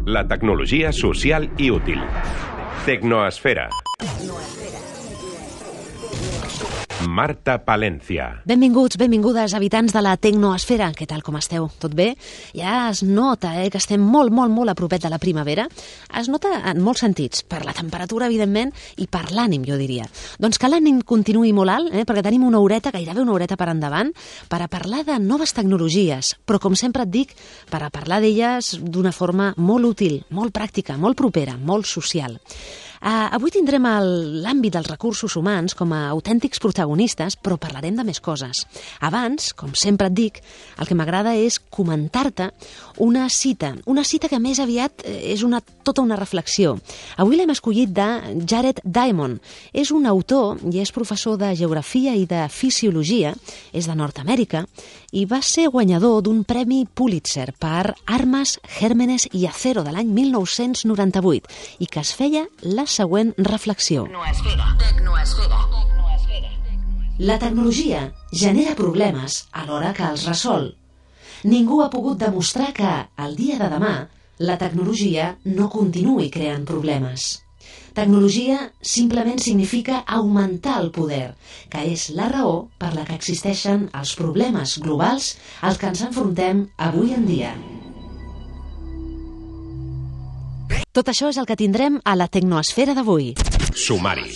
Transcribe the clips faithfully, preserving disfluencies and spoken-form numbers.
La tecnologia social i útil. Tecnoesfera. Marta Palencia. Benvinguts, benvingudes, habitants de la Tecnoesfera. Què tal, com esteu? Tot bé? Ja es nota eh, que estem molt, molt, molt a propet de la primavera. Es nota en molts sentits, per la temperatura, evidentment, i per l'ànim, jo diria. Doncs que l'ànim continuï molt alt, eh, perquè tenim una horeta, gairebé una horeta per endavant, per a parlar de noves tecnologies, però, com sempre et dic, per a parlar d'elles d'una forma molt útil, molt pràctica, molt propera, molt social. Uh, avui tindrem l'àmbit dels recursos humans com a autèntics protagonistes, però parlarem de més coses. Abans, com sempre et dic, el que m'agrada és comentar-te una cita, una cita que més aviat és una, tota una reflexió. Avui l'hem escollit de Jared Diamond. És un autor i és professor de Geografia i de Fisiologia, és de Nord-Amèrica, i va ser guanyador d'un premi Pulitzer per Armes, Gérmenes y Acero de l'any mil nou-cents noranta-vuit i que es feia la següent reflexió. Tecnoesfera. Tecnoesfera. La tecnologia genera problemes alhora que els resol. Ningú ha pogut demostrar que, al dia de demà, la tecnologia no continuï creant problemes. Tecnologia simplement significa augmentar el poder, que és la raó per la que existeixen els problemes globals als que ens enfrontem avui en dia. Tot això és el que tindrem a la Tecnoesfera d'avui. Sumari.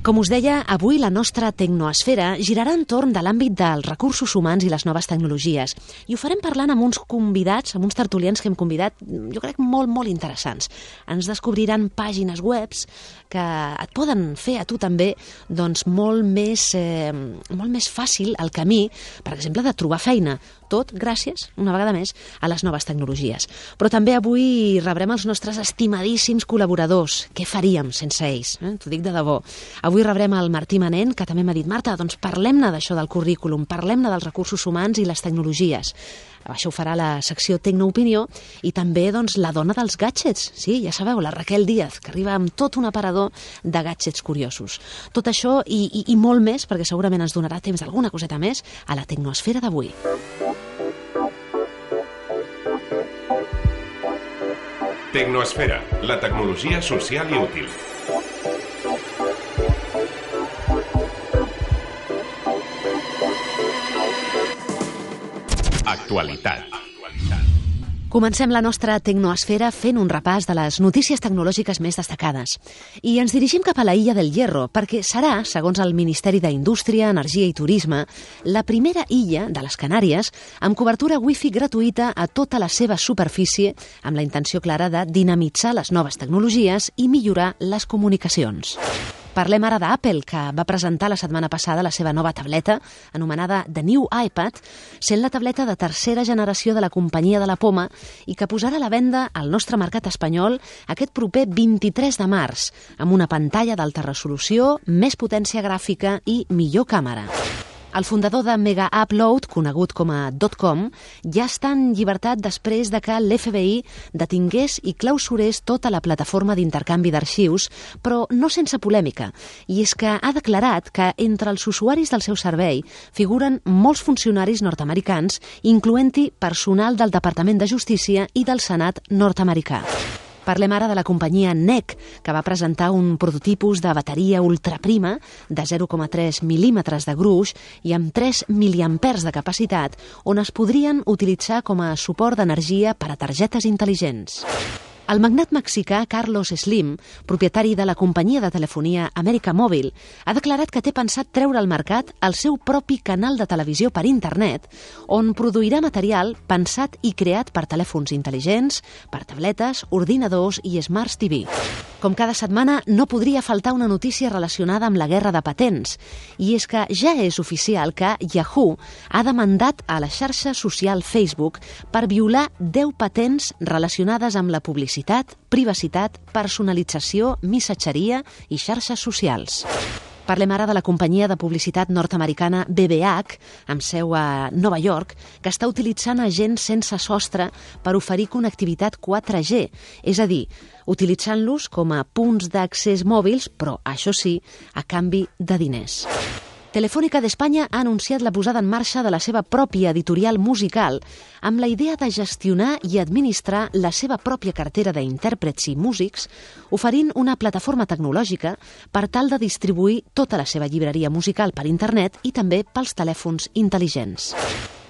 Com us deia, avui la nostra Tecnoesfera girarà entorn de l'àmbit dels recursos humans i les noves tecnologies. I ho farem parlant amb uns convidats, amb uns tertulians que hem convidat, jo crec, molt, molt interessants. Ens descobriran pàgines webs que et poden fer a tu també doncs, molt, més, eh, molt més fàcil el camí, per exemple, de trobar feina. Tot gràcies, una vegada més, a les noves tecnologies. Però també avui rebrem els nostres estimadíssims col·laboradors. Què faríem sense ells? Eh? T'ho dic de debò. Avui rebrem el Martí Manent, que també m'ha dit, Marta, doncs parlem-ne d'això del currículum, parlem-ne dels recursos humans i les tecnologies. Això ho farà la secció Tecnoopinió i també doncs, la dona dels gadgets. Sí, ja sabeu, la Raquel Díaz, que arriba amb tot un aparador de gadgets curiosos. Tot això i, i, i molt més, perquè segurament ens donarà temps d'alguna coseta més, a la Tecnoesfera d'avui. Tecnoesfera, la tecnologia social i útil. Actualitat. Comencem la nostra Tecnoesfera fent un repàs de les notícies tecnològiques més destacades. I ens dirigim cap a la Illa del Hierro, perquè serà, segons el Ministeri d'Indústria, Energia i Turisme, la primera illa de les Canàries amb cobertura wifi gratuïta a tota la seva superfície, amb la intenció clara de dinamitzar les noves tecnologies i millorar les comunicacions. Parlem ara d'Apple, que va presentar la setmana passada la seva nova tableta, anomenada The New iPad, sent la tableta de tercera generació de la companyia de la poma i que posarà a la venda al nostre mercat espanyol aquest proper vint-i-tres de març, amb una pantalla d'alta resolució, més potència gràfica i millor càmera. El fundador de Mega Upload, conegut com a .com, ja està en llibertat després de que l'F B I detingués i clausurés tota la plataforma d'intercanvi d'arxius, però no sense polèmica. I és que ha declarat que entre els usuaris del seu servei figuren molts funcionaris nord-americans, incloent-hi personal del Departament de Justícia i del Senat nord-americà. Parlem ara de la companyia N E C, que va presentar un prototipus de bateria ultraprima de zero coma tres mil·límetres de gruix i amb tres miliampers de capacitat, on es podrien utilitzar com a suport d'energia per a targetes intel·ligents. El magnat mexicà Carlos Slim, propietari de la companyia de telefonia Amèrica Mòbil, ha declarat que té pensat treure al mercat el seu propi canal de televisió per internet, on produirà material pensat i creat per telèfons intel·ligents, per tabletes, ordinadors i Smart T V. Com cada setmana, no podria faltar una notícia relacionada amb la guerra de patents, i és que ja és oficial que Yahoo ha demandat a la xarxa social Facebook per violar deu patents relacionades amb la publicitat, privacitat, personalització, missatgeria i xarxes socials. Parlem ara de la companyia de publicitat nord-americana B B H, amb seu a Nova York, que està utilitzant agents sense sostre per oferir connectivitat quatre G, és a dir, utilitzant-los com a punts d'accés mòbils, però, això sí, a canvi de diners. Telefònica d'Espanya ha anunciat la posada en marxa de la seva pròpia editorial musical amb la idea de gestionar i administrar la seva pròpia cartera d'intèrprets i músics, oferint una plataforma tecnològica per tal de distribuir tota la seva llibreria musical per internet i també pels telèfons intel·ligents.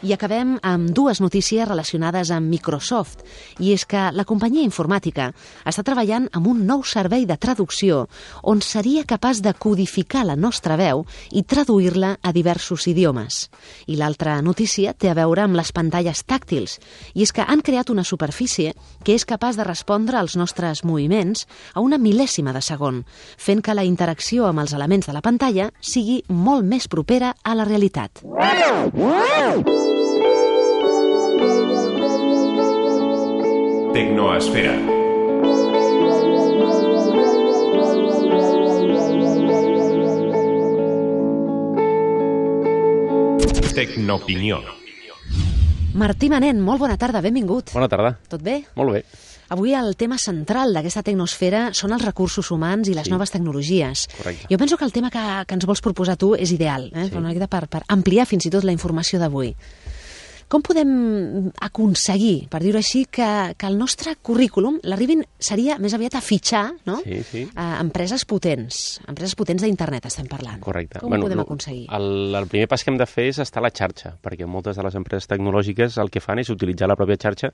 I acabem amb dues notícies relacionades amb Microsoft, i és que la companyia informàtica està treballant amb un nou servei de traducció on seria capaç de codificar la nostra veu i traduir-la a diversos idiomes. I l'altra notícia té a veure amb les pantalles tàctils, i és que han creat una superfície que és capaç de respondre als nostres moviments a una mil·lèsima de segon, fent que la interacció amb els elements de la pantalla sigui molt més propera a la realitat. Tecnoesfera. Tecnoopinió. Martí Manent, molt bona tarda, benvingut. Bona tarda. Tot bé? Molt bé. Avui el tema central d'aquesta tecnosfera són els recursos humans i les Sí. noves tecnologies. Correcte. Jo penso que el tema que, que ens vols proposar tu és ideal, eh? Sí. Una miqueta per, per ampliar fins i tot la informació d'avui. Com podem aconseguir, per dir-ho així, que, que el nostre currículum l'arribin, seria més aviat a fitxar, no? Sí, sí. A empreses potents, empreses potents d'internet estem parlant. Correcte. Com ho podem aconseguir? El, el primer pas que hem de fer és estar a la xarxa, perquè moltes de les empreses tecnològiques el que fan és utilitzar la pròpia xarxa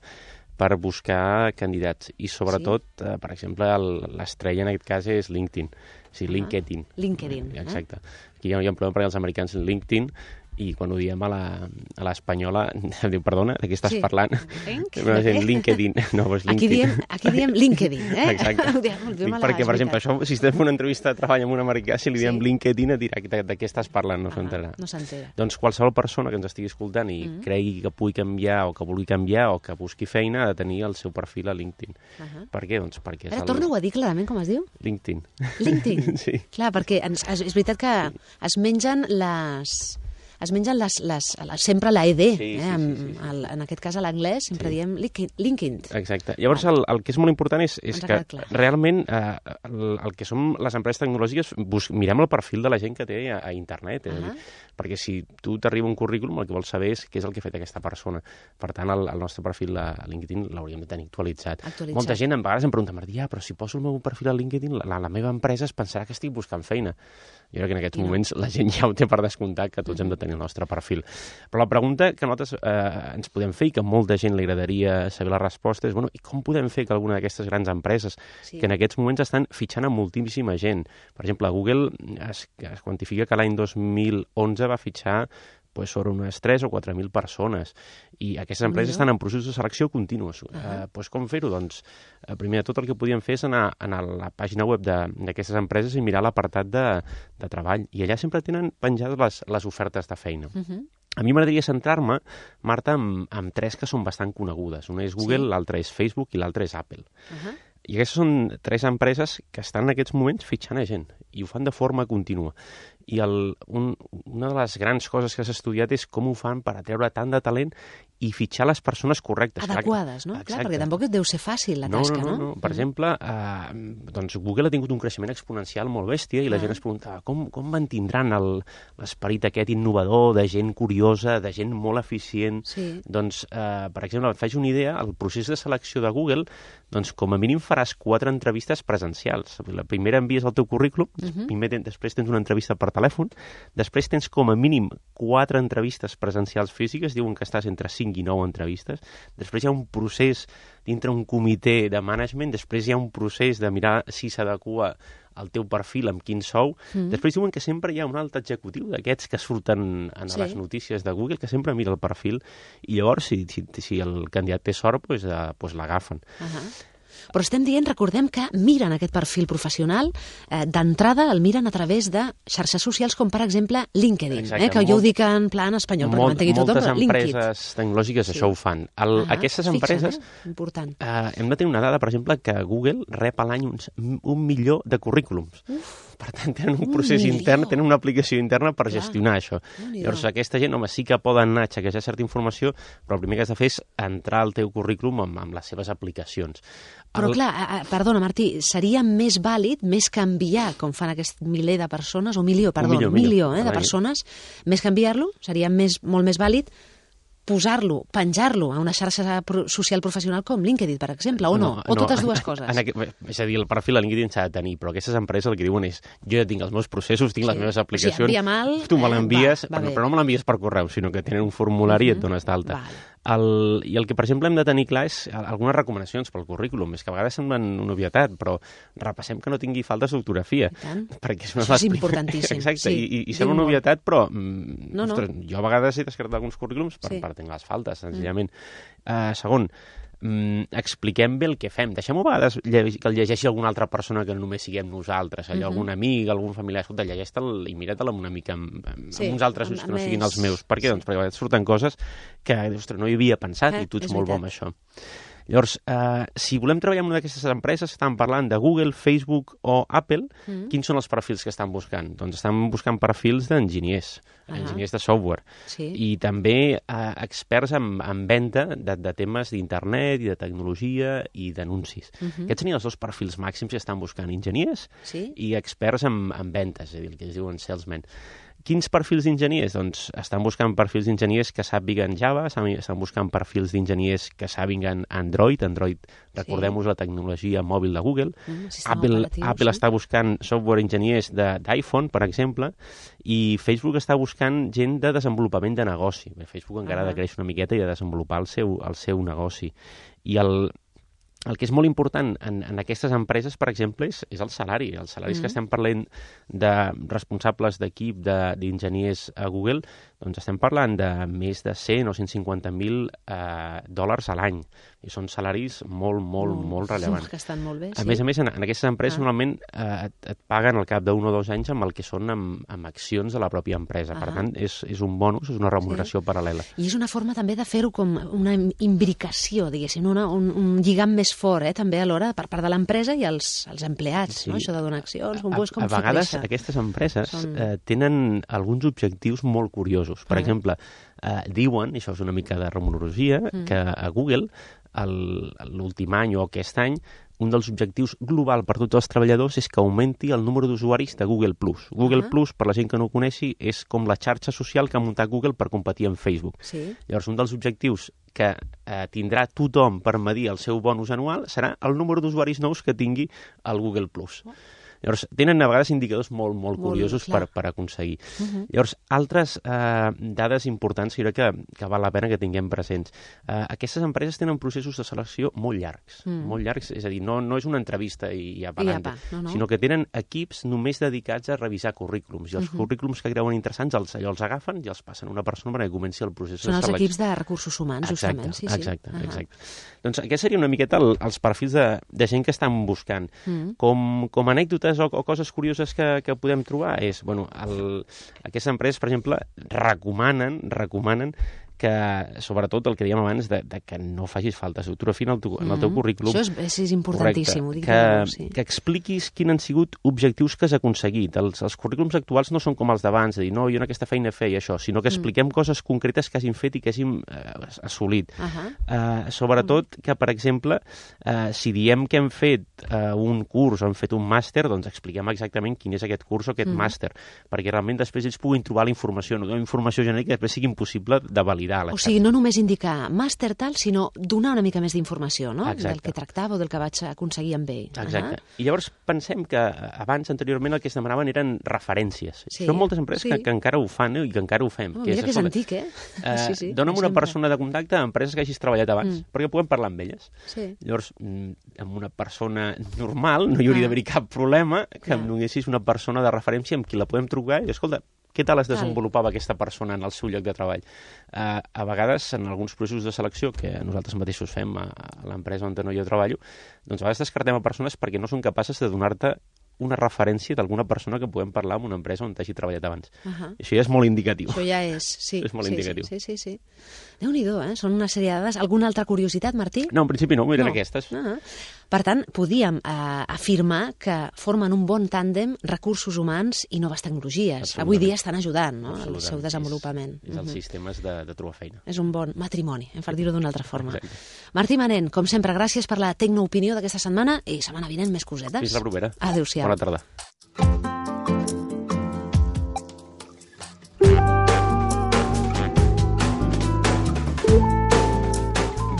per buscar candidats. I sobretot, sí. eh, per exemple, l'estrella en aquest cas és LinkedIn. O sigui, Ah, LinkedIn. LinkedIn, eh? Exacte. Aquí hi ha, hi ha un problema perquè els americans LinkedIn, i quan ho diem a la- a l'espanyola, diu, perdona, de què estàs Sí. parlant? Link? Però és en LinkedIn, no, és Aquí LinkedIn. diem, aquí diem LinkedIn, eh? Exacte. Ho diem, ho diem Dic a la- perquè, per és exemple, veritat. això, si estem fent una entrevista de treball amb un americà, si li diem Sí. LinkedIn, et dirà de, de què estàs parlant, no Ah, s'entenrà. no s'entera. Doncs qualsevol persona que ens estigui escoltant i Mm. cregui que pugui canviar o que vulgui canviar o que busqui feina ha de tenir el seu perfil a LinkedIn. Uh-huh. Per què? Doncs perquè és Ara, el torna-ho a dir clarament, com es diu? LinkedIn. LinkedIn. Sí. Clar, perquè ens, és, és veritat que es mengen les... Es mengen les, les, les, sempre la E D, Sí, eh? sí, en, sí, sí. el, en aquest cas a l'anglès sempre Sí. diem LinkedIn. LinkedIn. Exacte. Llavors, el, el que és molt important és, és Ens ha que quedat clar. realment eh, el, el que som les empreses tecnològiques, bus, mirem el perfil de la gent que té a, a internet. És a dir, perquè si tu t'arriba un currículum, el que vols saber és què és el que ha fet aquesta persona. Per tant, el, el nostre perfil a LinkedIn l'hauríem de tenir actualitzat. Actualitzat. Molta gent a vegades em pregunta, Martí, ah, però si poso el meu perfil a LinkedIn, la, la meva empresa es pensarà que estic buscant feina. Jo crec que en aquests I no. moments la gent ja ho té per descomptat, que tots hem de tenir el nostre perfil. Però la pregunta que nosaltres eh, ens podem fer i que molta gent li agradaria saber la resposta és, bueno, i com podem fer que alguna d'aquestes grans empreses, Sí. que en aquests moments estan fitxant a moltíssima gent, per exemple, Google es, es quantifica que l'any dos mil onze va fitxar pues, sobre unes tres o quatre mil persones, i aquestes empreses Déu-n'hi-do. estan en processos de selecció continuos. Uh -huh. eh, pues, com fer-ho? Doncs, eh, primer de tot el que podíem fer és anar, anar a la pàgina web de- d'aquestes empreses i mirar l'apartat de, de treball, i allà sempre tenen penjades les, les ofertes de feina. Uh -huh. A mi m'agradaria centrar-me, Marta, amb, amb tres que són bastant conegudes. Una és Google, Sí. l'altra és Facebook i l'altra és Apple. Uh -huh. I aquestes són tres empreses que estan en aquests moments fitxant a gent, i ho fan de forma contínua. I el, un, una de les grans coses que s'ha estudiat és com ho fan per atreure tant de talent i fitxar les persones correctes. Clar, Adequades, no? Clar, perquè tampoc deu ser fàcil la no, tasca, no? no? no, no. Per Mm. exemple, eh, doncs Google ha tingut un creixement exponencial molt bèstia i la Ah. gent es pregunta com, com mantindran el- l'esperit aquest innovador de gent curiosa, de gent molt eficient. Sí. Doncs, eh, per exemple, et faig una idea, el procés de selecció de Google, doncs com a mínim faràs quatre entrevistes presencials. La primera envies el teu currículum, Mhm. primer ten, després tens una entrevista per telèfon, després tens com a mínim quatre entrevistes presencials físiques, diuen que estàs entre cinc i nou entrevistes, després hi ha un procés dintre un comitè de management, després hi ha un procés de mirar si s'adequa al teu perfil, amb quin sou. Mm. Després diuen que sempre hi ha un alt executiu d'aquests que surten en Sí. les notícies de Google, que sempre mira el perfil, i llavors, si, si, si el candidat té sort, doncs, eh, doncs l'agafen. Uh -huh. Però estem dient, recordem que miren aquest perfil professional, eh, d'entrada el miren a través de xarxes socials com, per exemple, LinkedIn, Exacte, eh, que jo molt- ho dic en plan espanyol, perquè Molt, m'entengui tothom, moltes però LinkedIn. empreses tecnològiques Sí. això ho fan. El, Ahà, aquestes es fixen, empreses... eh? Important. Eh, hem de tenir una dada, per exemple, que Google rep a l'any uns, un milió de currículums. Uf, Per tant, tenen un procés un intern, tenen una aplicació interna per Clar. gestionar això. Llavors, aquesta gent, home, sí que poden anar a xequejar certa informació, però el primer que has de fer és entrar al teu currículum amb, amb les seves aplicacions. Però el... clar, perdona, Martí, seria més vàlid, més que enviar, com fan aquest miler de persones, o milió, perdó, milió, milió eh, de persones, més que enviar-lo, seria més, molt més vàlid posar-lo, penjar-lo a una xarxa social professional com LinkedIn, per exemple, o no? no o totes no, dues coses? En, en, és a dir, el perfil a LinkedIn s'ha de tenir, però aquestes empreses el que diuen és jo ja tinc els meus processos, tinc sí. les meves aplicacions, o sigui, mal, tu me l'envies, eh, va, va però, però no me l'envies per correu, sinó que tenen un formulari uh -huh. i et dones d'alta. Vale. El, I el que, per exemple, hem de tenir clar és algunes recomanacions pel currículum. És que a vegades semblen una obvietat, però repassem que no tingui faltes d'ortografia. Perquè és, Això és importantíssim. Exacte, sí, i, i sembla una obvietat, però no, no. Ostres, jo a vegades he descartat alguns currículums per, sí. per tenir les faltes, senzillament. Mm. Uh, segon, Mm, expliquem bé el que fem. Deixem-ho a vegades que el llegeixi alguna altra persona que no només siguem nosaltres, allò, uh -huh. algun amic, algun familiar, escolta, llegeix-te'l i mira-te'l una mica amb, amb, sí, amb uns altres ulls que no siguin els meus. Per què? Sí. Doncs perquè a vegades surten coses que, ostres, no hi havia pensat eh, i tu ets molt bo amb això. Llavors, eh, si volem treballar en una d'aquestes empreses, estan parlant de Google, Facebook o Apple, mm. quins són els perfils que estan buscant? Doncs estan buscant perfils d'enginyers, uh -huh. enginyers de software, sí. i també eh, experts en, en venda de, de temes d'internet i de tecnologia i d'anuncis. Uh -huh. Aquests serien els dos perfils màxims que estan buscant, enginyers sí. i experts en, en ventes, és a dir, el que es diuen salesmen. Quins perfils d'enginyers? Doncs estan buscant perfils d'enginyers que sàpiguen Java, estan buscant perfils d'enginyers que sàpiguen Android. Android, recordem-nos sí. la tecnologia mòbil de Google. Mm, Apple, Apple sí. està buscant software enginyers d'iPhone, per exemple, i Facebook està buscant gent de desenvolupament de negoci. Bé, Facebook encara ah. ha de créixer una miqueta i de desenvolupar el seu, el seu negoci. I el... El que és molt important en, en aquestes empreses, per exemple, és, és el salari. Els salaris mm. que estem parlant de responsables d'equip d'enginyers a Google, doncs estem parlant de més de cent o cent cinquanta mil eh, dòlars a l'any. I són salaris molt, molt, molt, molt rellevants. Que estan molt bé, a sí. més a més, en, en aquestes empreses ah. normalment eh, et, et paguen al cap d'un o dos anys amb el que són amb, amb accions de la pròpia empresa. Ah. Per tant, és, és un bonus, és una remuneració sí. paral·lela. I és una forma també de fer-ho com una imbricació, diguéssim, una, un, un lligam més fort, eh, també alhora, per part de l'empresa i els, els empleats, sí. no? Això de donar accions, un a, bo és com a vegades aquestes empreses Són... eh, tenen alguns objectius molt curiosos. Per ah. exemple, eh, diuen, i això és una mica de rumorologia, mm. que a Google l'últim any o aquest any un dels objectius global per tots els treballadors és que augmenti el número d'usuaris de Google Plus. Google uh -huh. Plus, per la gent que no ho coneixi, és com la xarxa social que ha muntat Google per competir amb Facebook. Sí. Llavors, un dels objectius que eh, tindrà tothom per medir el seu bonus anual serà el número d'usuaris nous que tingui el Google Plus. Uh -huh. Llavors, tenen a vegades indicadors molt, molt, molt curiosos per, per aconseguir. Uh -huh. Llavors, altres eh, dades importants que, que, que val la pena que tinguem presents. Eh, aquestes empreses tenen processos de selecció molt llargs. Mm. Molt llargs, és a dir, no, no és una entrevista i ja pagant, no, no. sinó que tenen equips només dedicats a revisar currículums. I els uh -huh. currículums que creuen interessants els, els agafen i els passen a una persona perquè comenci el procés Són de selecció. Són els equips de recursos humans, exacte, justament. Sí, exacte, sí. exacte. Uh -huh. Doncs aquest seria una miqueta el, els perfils de, de gent que estan buscant. Mm. Com, com anècdotes o, o coses curioses que, que podem trobar és, bueno, el, aquestes empreses, per exemple, recomanen, recomanen que, sobretot, el que dèiem abans, de, de que no facis faltes d'ortografia en, el teu, en el teu currículum. Això és, és importantíssim. Correcte, que, sí. que expliquis quins han sigut objectius que has aconseguit. Els, els currículums actuals no són com els d'abans, de dir, no, jo en aquesta feina feia això, sinó que expliquem mm. coses concretes que hagin fet i que hagin eh, assolit. Uh -huh. uh, sobretot mm. que, per exemple, uh, si diem que hem fet uh, un curs o hem fet un màster, doncs expliquem exactament quin és aquest curs o aquest mm. màster, perquè realment després ells puguin trobar la informació, no una informació genèrica que després sigui impossible de validar. O sigui, no només indicar màster tal, sinó donar una mica més d'informació, no? Exacte. Del que tractava o del que vaig aconseguir amb ell. Exacte. Uh -huh. I llavors pensem que abans, anteriorment, el que es demanaven eren referències. Sí. Són moltes empreses sí. que, que encara ho fan eh, i que encara ho fem. Oh, mira que és, que és antic, eh? Uh, sí, sí, dona'm una persona de contacte a empreses que hagis treballat abans, mm. perquè puguem parlar amb elles. Sí. Llavors, amb una persona normal no hi hauria ah. d'haver cap problema que ah. em donessis una persona de referència amb qui la podem trucar i, escolta, què tal es desenvolupava aquesta persona en el seu lloc de treball? Uh, a vegades, en alguns processos de selecció que nosaltres mateixos fem a, a l'empresa on no jo treballo, doncs a vegades descartem a persones perquè no són capaces de donar-te una referència d'alguna persona que puguem parlar en una empresa on hagi treballat abans. Uh -huh. Això ja és molt indicatiu. Això ja és, sí. És molt sí, indicatiu. Sí, sí, sí. Déu-n'hi-do, eh? Són una sèrie de dades. Alguna altra curiositat, Martí? No, en principi no, eren No. aquestes. Uh -huh. Per tant, podíem eh, afirmar que formen un bon tàndem recursos humans i noves tecnologies. Avui dia estan ajudant, no?, al seu desenvolupament. És, és els sistemes de, de trobar feina. És un bon matrimoni, eh, per dir-ho d'una altra forma. Exacte. Martí Manent, com sempre, gràcies per la tecnoopinió d'aquesta setmana i setmana vinent més cosetes. Fins la propera. Adéu-siau. Bona tarda.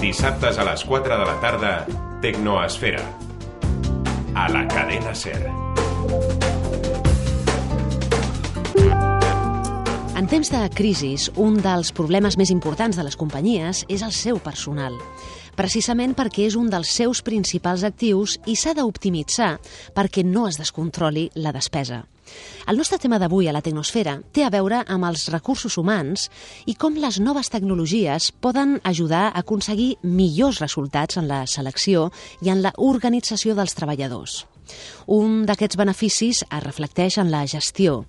Dissabtes a les quatre de la tarda, Tecnoesfera. A la cadena SER. En temps de crisis, un dels problemes més importants de les companyies és el seu personal, precisament perquè és un dels seus principals actius i s'ha d'optimitzar perquè no es descontroli la despesa. El nostre tema d'avui a la Tecnosfera té a veure amb els recursos humans i com les noves tecnologies poden ajudar a aconseguir millors resultats en la selecció i en la organització dels treballadors. Un d'aquests beneficis es reflecteix en la gestió,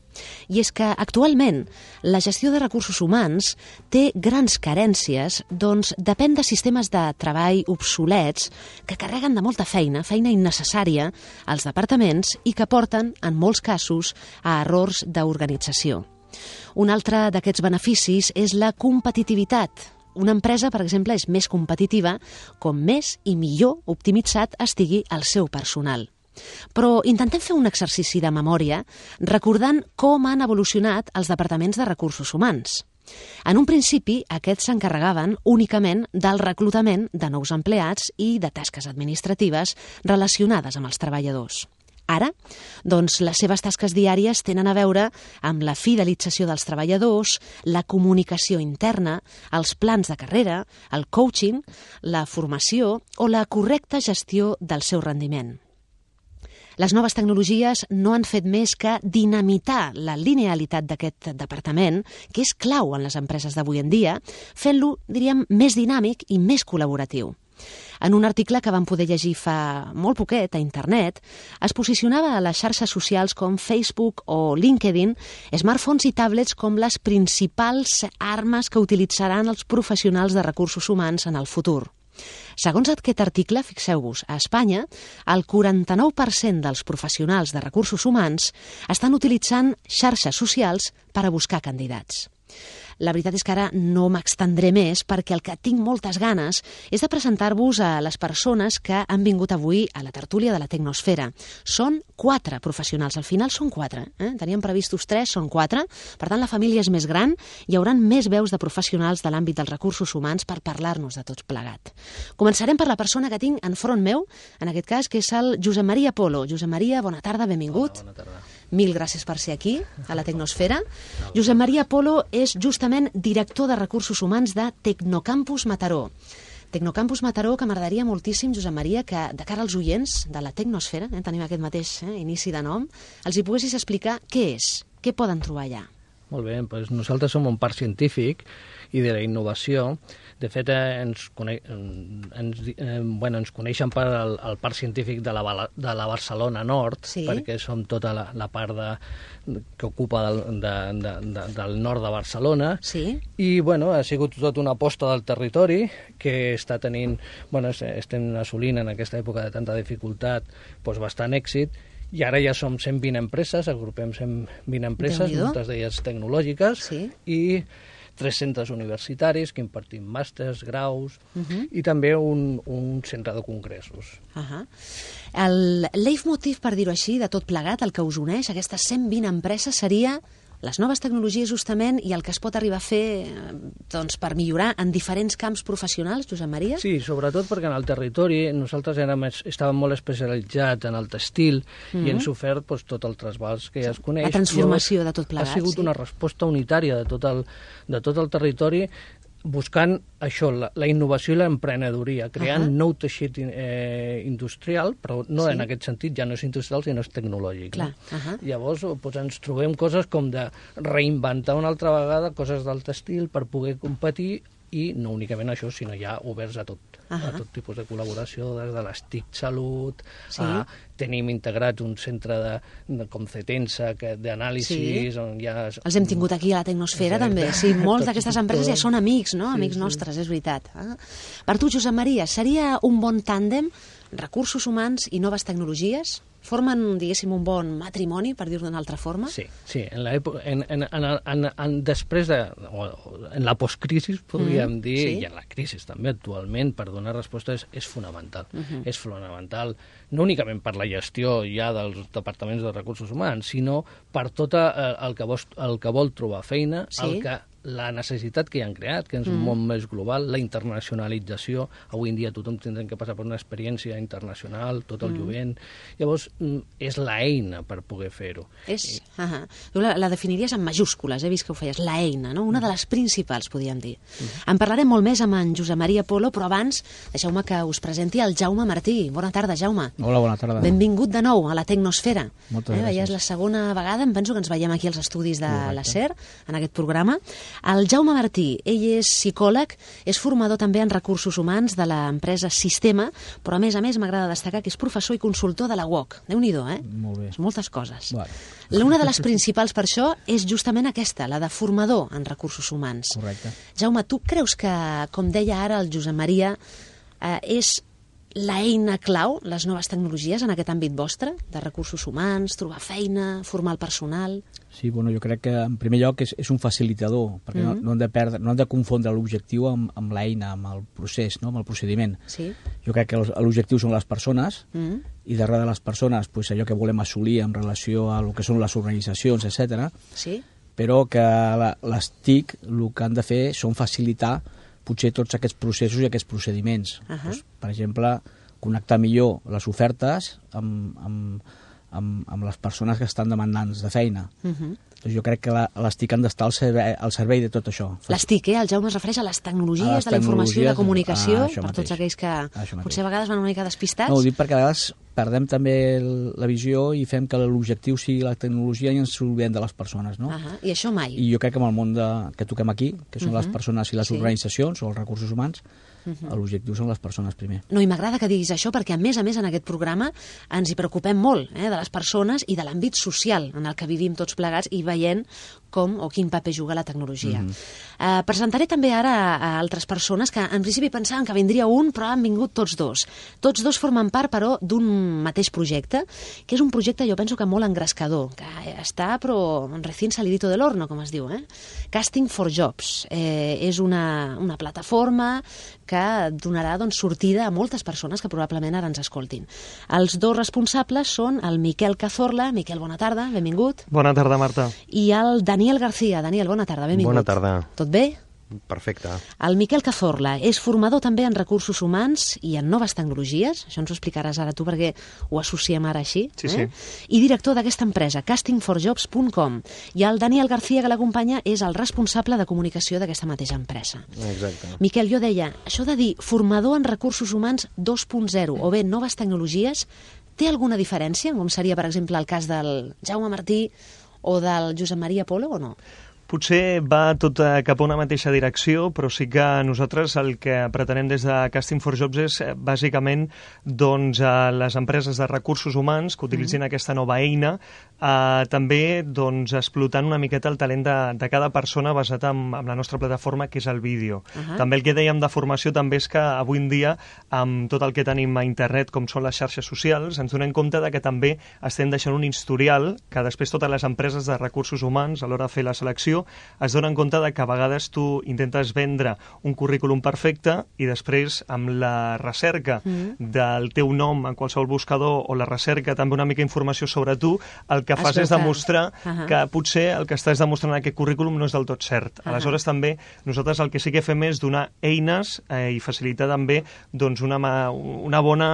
i és que actualment la gestió de recursos humans té grans carències, doncs depèn de sistemes de treball obsolets que carreguen de molta feina, feina innecessària als departaments i que porten, en molts casos, a errors d'organització. Un altre d'aquests beneficis és la competitivitat. Una empresa, per exemple, és més competitiva com més i millor optimitzat estigui el seu personal. Però intentem fer un exercici de memòria recordant com han evolucionat els departaments de recursos humans. En un principi, aquests s'encarregaven únicament del reclutament de nous empleats i de tasques administratives relacionades amb els treballadors. Ara, doncs, les seves tasques diàries tenen a veure amb la fidelització dels treballadors, la comunicació interna, els plans de carrera, el coaching, la formació o la correcta gestió del seu rendiment. Les noves tecnologies no han fet més que dinamitar la linealitat d'aquest departament, que és clau en les empreses d'avui en dia, fent-lo, diríem, més dinàmic i més col·laboratiu. En un article que vam poder llegir fa molt poquet a internet, es posicionava a les xarxes socials com Facebook o LinkedIn smartphones i tablets com les principals armes que utilitzaran els professionals de recursos humans en el futur. Segons aquest article, fixeu-vos, a Espanya, el quaranta-nou per cent dels professionals de recursos humans estan utilitzant xarxes socials per a buscar candidats. La veritat és que ara no m'extendré més perquè el que tinc moltes ganes és de presentar-vos a les persones que han vingut avui a la tertúlia de la Tecnosfera. Són quatre professionals, al final són quatre. Eh? Teníem previstos tres, són quatre. Per tant, la família és més gran, hi haurà més veus de professionals de l'àmbit dels recursos humans per parlar-nos de tots plegat. Començarem per la persona que tinc enfront meu, en aquest cas, que és el Josep Maria Polo. Josep Maria, bona tarda, benvingut. Hola, bona tarda. Mil gràcies per ser aquí, a la Tecnosfera. Josep Maria Polo és justament director de recursos humans de Tecnocampus Mataró. Tecnocampus Mataró, que m'agradaria moltíssim, Josep Maria, que de cara als oients de la Tecnosfera, eh, tenim aquest mateix eh, inici de nom, els hi poguessis explicar què és, què poden trobar allà. Molt bé, doncs nosaltres som un parc científic i de la innovació. De fet, eh, ens, cone ens, eh, bueno, ens coneixen per el, el Parc Científic de la, de la Barcelona Nord, sí, perquè som tota la, la part de, que ocupa del, de, de, de, del nord de Barcelona. Sí. I bueno, ha sigut tot una aposta del territori que està tenint, bueno, estem assolint en aquesta època de tanta dificultat doncs bastant èxit. I ara ja som cent vint empreses, agrupem cent vint empreses, moltes d'elles tecnològiques, sí, i tres centres universitaris que impartim màsters, graus, uh -huh, i també un, un centre de congressos. Uh -huh. El leitmotiv, per dir-ho així, de tot plegat, el que us uneix, aquestes cent vint empreses, seria les noves tecnologies justament i el que es pot arribar a fer doncs, per millorar en diferents camps professionals, Josep Maria? Sí, sobretot perquè en el territori nosaltres érem, estàvem molt especialitzats en el textil, mm-hmm, i hem sofert doncs, tot el trasbals que ja es coneix. La transformació de tot plegat. Ha sigut, sí, una resposta unitària de tot el, de tot el territori, buscant això, la, la innovació i l'emprenedoria, creant uh -huh. nou teixit eh, industrial, però no, sí, en aquest sentit ja no és industrial, sinó és tecnològic. Clar, no? uh -huh. Llavors doncs, ens trobem coses com de reinventar una altra vegada coses del textil per poder competir, i no únicament això, sinó ja oberts a tot. a tot tipus de col·laboració, des de les T I C Salut, Sí. a, tenim integrat un centre de, de com Cetensa, que- d'anàlisi, Sí. on hi ha... Els hem tingut aquí a la Tecnosfera, Exacte. també. Sí, molts Tots- d'aquestes empreses ja tots. són amics, no? Sí, Amics sí. nostres, és veritat. Ah. Per tu, Josep Maria, seria un bon tàndem recursos humans i noves tecnologies? Formen, diguéssim, un bon matrimoni, per dir-ho d'una altra forma? Sí, sí, en l'època, en, en, en, en, en, després de, o, o, en la postcrisi, podríem Mm, dir, sí. i en la crisi també actualment, per donar resposta és, és fonamental. Mhm. És fonamental, no únicament per la gestió ja dels departaments de recursos humans, sinó per tot eh, el, que vol, el que vol trobar feina, Sí. el que la necessitat que hi han creat, que és un Mm. món més global, la internacionalització, avui en dia tothom tindrem que passar per una experiència internacional, tot el Mm. jovent, llavors mm, és l'eina per poder fer-ho. És, uh tu la, la definiries en majúscules, he vist que ho feies, la eina, no? Una de les principals, podríem dir. En parlarem molt més amb en Josep Maria Polo, però abans deixeu-me que us presenti el Jaume Martí. Bona tarda, Jaume. Hola, bona tarda. Benvingut de nou a la Tecnosfera. Moltes eh, gràcies. Ja és la segona vegada, em penso que ens veiem aquí als estudis de Correcte. la SER, en aquest programa. El Jaume Martí, ell és psicòleg, és formador també en recursos humans de l'empresa Sistema, però a més a més m'agrada destacar que és professor i consultor de la U O C. Déu-n'hi-do, eh? Molt bé. Moltes coses. Vale. Una de les principals per això és justament aquesta, la de formador en recursos humans. Correcte. Jaume, tu creus que, com deia ara el Josep Maria, eh, és l'eina clau, les noves tecnologies en aquest àmbit vostre, de recursos humans, trobar feina, formar el personal? Sí, bueno, jo crec que en primer lloc és, és un facilitador, perquè Mhm. no, no, hem de perdre, no hem de confondre l'objectiu amb, amb l'eina, amb el procés, no? Amb el procediment. Sí. Jo crec que els- l'objectiu són les persones, Mm. i darrere de les persones pues, allò que volem assolir en relació a el que són les organitzacions, etcètera. Sí? Però que la, les T I C el que han de fer són facilitar potser tots aquests processos i aquests procediments. Ahà. Doncs, per exemple, connectar millor les ofertes amb, amb, amb, amb les persones que estan demandants de feina. Mhm. Doncs jo crec que la, les T I C han d'estar al servei, al servei de tot això. Les T I C, eh? El Jaume es refereix a les tecnologies A les de la informació i de tecnologies, comunicació, ah, això per tots mateix. aquells que Això mateix. potser a vegades van una mica despistats. No, ho dic perquè a vegades perdem també el, la visió i fem que l'objectiu sigui la tecnologia i ens oblidem de les persones, no? Ahà. I això mai. I jo crec que en el món de, que toquem aquí, que són Mhm. les persones i les Sí. organitzacions o els recursos humans, Mhm. l'objectiu són les persones primer. No, i m'agrada que diguis això perquè, a més a més, en aquest programa ens hi preocupem molt, eh, de les persones i de l'àmbit social en el que vivim tots plegats i veient com o quin paper juga la tecnologia. Mhm. Eh, presentaré també ara a altres persones que en principi pensaven que vindria un, però han vingut tots dos. Tots dos formen part, però, d'un mateix projecte, que és un projecte, jo penso que molt engrescador, que està, però, recién salidito del horno, com es diu, eh? Casting for Jobs. Eh, és una, una plataforma que donarà doncs, sortida a moltes persones que probablement ara ens escoltin. Els dos responsables són el Miquel Cazorla. Miquel, bona tarda, benvingut. Bona tarda, Marta. I el Daniel García. Daniel, bona tarda, benvingut. Bona tarda. Tot bé? Perfecte. El Miquel Cazorla és formador també en recursos humans i en noves tecnologies, això ens ho explicaràs ara tu perquè ho associem ara així, Sí, eh? sí. I director d'aquesta empresa, casting for jobs punt com. I el Daniel García, que l'acompanya, és el responsable de comunicació d'aquesta mateixa empresa. Exacte. Miquel, jo deia, això de dir formador en recursos humans dos punt zero o bé noves tecnologies, té alguna diferència, com seria, per exemple, el cas del Jaume Martí o del Josep Maria Polo, o no? Potser va tot eh, cap a una mateixa direcció, però sí que nosaltres el que pretenem des de Casting for Jobs és eh, bàsicament doncs, eh, les empreses de recursos humans que utilitzin mm. aquesta nova eina, eh, també doncs, explotant una miqueta el talent de, de cada persona basat en, en la nostra plataforma, que és el vídeo. Uh -huh. També el que dèiem de formació també és que avui en dia, amb tot el que tenim a internet, com són les xarxes socials, ens donem compte de que també estem deixant un historial que després totes les empreses de recursos humans, a l'hora de fer la selecció, es donen compte de que a vegades tu intentes vendre un currículum perfecte i després amb la recerca Mm. del teu nom en qualsevol buscador o la recerca també una mica informació sobre tu, el que Es fas veu és que- demostrar Ahà. que potser el que estàs demostrant en aquest currículum no és del tot cert. Ahà. Aleshores també nosaltres el que sí que fem és donar eines eh, i facilitar també doncs, una, ma- una bona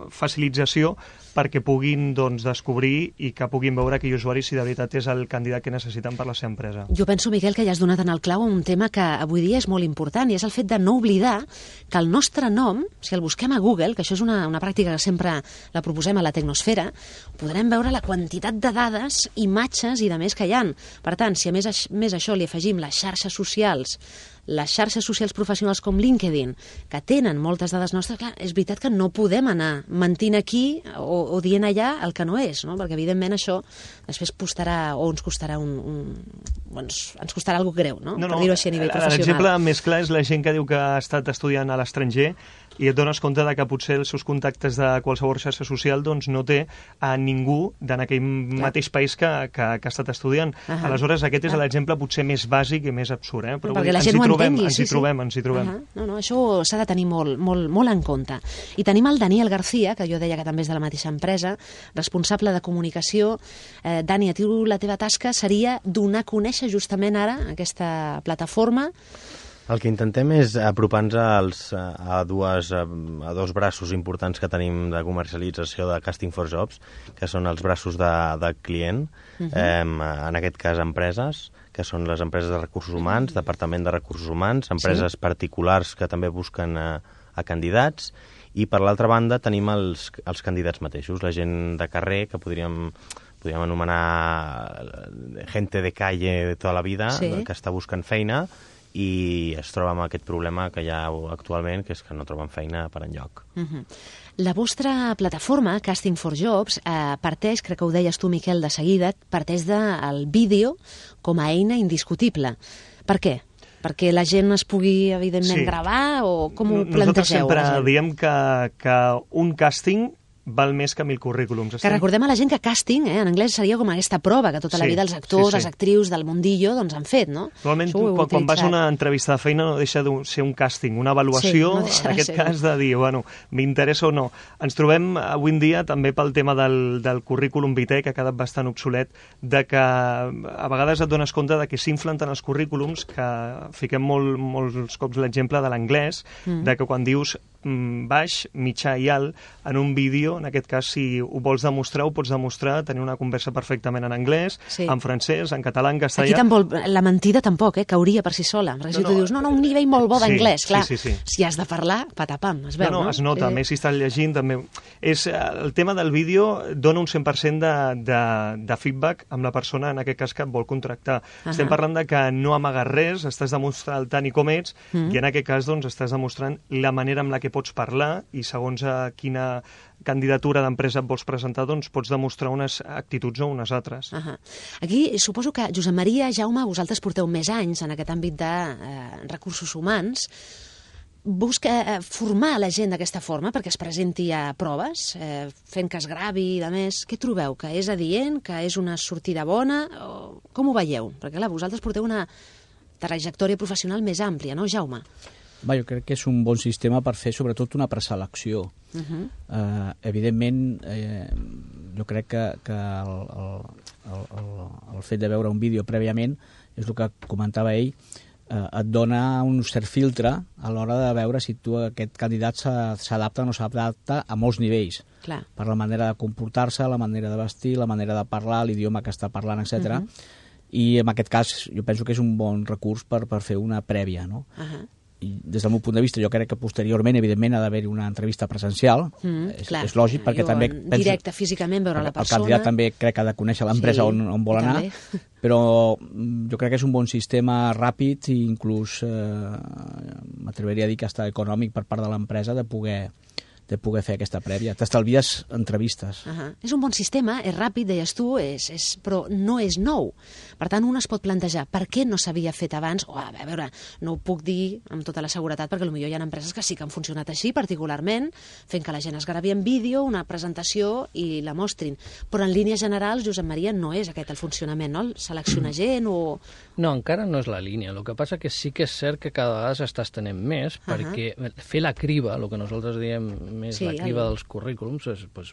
eh, facilització perquè puguin doncs, descobrir i que puguin veure aquell usuari si de veritat és el candidat que necessiten per la seva empresa. Jo penso, Miquel, que ja has donat en el clau un tema que avui dia és molt important, i és el fet de no oblidar que el nostre nom, si el busquem a Google, que això és una, una pràctica que sempre la proposem a la Tecnosfera, podrem veure la quantitat de dades, imatges i de més que hi ha. Per tant, si a més, a més això li afegim les xarxes socials les xarxes socials professionals com LinkedIn, que tenen moltes dades nostres, clar, és veritat que no podem anar mentint aquí o, o dient allà el que no és, no? Perquè evidentment això després costarà, o ens costarà un, un doncs, ens costarà alguna greu, no? No, no, per dir-ho així a nivell professional. L'exemple més clar és la gent que diu que ha estat estudiant a l'estranger i et dones compte de que potser els seus contactes de qualsevol xarxa social doncs, no té a ningú d'en aquell Clar. mateix país que, que, que ha estat estudiant. Uh -huh. Aleshores, aquest és l'exemple potser més bàsic i més absurd. Eh? Però perquè dir, la gent ens hi ho trobem, entengui. Ens sí, hi trobem, sí. ens hi trobem. Uh -huh. No, no, això s'ha de tenir molt, molt, molt en compte. I tenim el Daniel García, que jo deia que també és de la mateixa empresa, responsable de comunicació. Eh, Dani, a tu la teva tasca seria donar a conèixer justament ara aquesta plataforma. El que intentem és apropar-nos als, a, dues, a dos braços importants que tenim de comercialització de Casting for Jobs, que són els braços de, de client, uh-huh. eh, en aquest cas empreses, que són les empreses de recursos humans, Departament de Recursos Humans, empreses sí. particulars que també busquen a, a candidats, i per l'altra banda tenim els, els candidats mateixos, la gent de carrer que podríem... podríem anomenar gente de calle de tota la vida, sí. que està buscant feina, i es troba amb aquest problema que hi ha actualment, que és que no troben feina per enlloc. Uh-huh. La vostra plataforma, Casting for Jobs, eh, parteix, crec que ho deies tu, Miquel, de seguida, parteix del vídeo com a eina indiscutible. Per què? Perquè la gent es pugui, evidentment, sí. gravar, o com ho plantegeu? Nosaltres sempre diem que, que un càsting val més que mil currículums. Que recordem a la gent que casting, eh, en anglès seria com aquesta prova que tota la sí, vida els actors, sí, sí. les actrius del mundillo doncs han fet, no? Normalment, tu, quan, quan vas a una entrevista de feina no deixa de ser un càsting, una avaluació, sí, no en aquest cas de dir, bueno, m'interessa o no. Ens trobem avui en dia també pel tema del, del currículum vitae, que ha quedat bastant obsolet, de que a vegades et dones compte de que s'inflen tant els currículums que fiquem molt, molts cops l'exemple de l'anglès, mm. de que quan dius baix, mitjà i alt, en un vídeo, en aquest cas, si ho vols demostrar, ho pots demostrar, tenir una conversa perfectament en anglès, sí. en francès, en català, en castellà... Aquí tampoc, la mentida tampoc, eh, cauria per si sola. Perquè no, si tu no, dius, no, no, un nivell molt bo d'anglès, sí, clar, sí, sí, sí. si has de parlar, patapam, es veu, no? No, no, es nota, sí. més si estàs llegint, també... És, el tema del vídeo dona un cent per cent de, de, de feedback amb la persona, en aquest cas, que et vol contractar. Uh-huh. Estem parlant de que no amagues res, estàs demostrant tant i com ets, uh-huh. i en aquest cas, doncs, estàs demostrant la manera amb la que pots parlar i segons a quina candidatura d'empresa et vols presentar, doncs pots demostrar unes actituds o unes altres. Uh-huh. Aquí suposo que, Josep Maria, Jaume, vosaltres porteu més anys en aquest àmbit de eh, recursos humans. Busca eh, formar la gent d'aquesta forma perquè es presenti a proves, eh, fent que es gravi i de més. Què trobeu? Que és adient? Que és una sortida bona? O com ho veieu? Perquè, clar, vosaltres porteu una trajectòria professional més àmplia, no, Jaume? Va, jo crec que és un bon sistema per fer sobretot una preselecció. Uh-huh. uh, evidentment, eh, jo crec que, que el, el, el, el fet de veure un vídeo prèviament és el que comentava ell, eh, et dona un cert filtre a l'hora de veure si tu aquest candidat s'adapta o no s'adapta a molts nivells. Clar. Per la manera de comportar-se, la manera de vestir, la manera de parlar, l'idioma que està parlant, etcètera. Uh-huh. I en aquest cas jo penso que és un bon recurs per, per fer una prèvia, no? Uh-huh. I des del meu punt de vista jo crec que posteriorment evidentment ha d'haver-hi una entrevista presencial, mm, és, és lògic perquè jo, també penso, directe físicament veure la persona, el candidat també crec que ha de conèixer l'empresa sí, on, on vol anar també. Però jo crec que és un bon sistema ràpid i inclús eh, m'atreviria a dir que està econòmic per part de l'empresa de poder de poder fer aquesta prèvia. T'estalvies entrevistes. Uh-huh. És un bon sistema, és ràpid, deies tu, és, és, però no és nou. Per tant, un es pot plantejar per què no s'havia fet abans, o a veure, no ho puc dir amb tota la seguretat, perquè potser hi ha empreses que sí que han funcionat així, particularment, fent que la gent es gravi en vídeo, una presentació i la mostrin. Però en línies generals, Josep Maria, no és aquest el funcionament, no? Seleccionar gent o... No, encara no és la línia. El que passa que sí que és cert que cada vegada s'està estenent més, uh-huh. perquè fer la criba, el que nosaltres diem més sí, la criba el... dels currículums, es pues,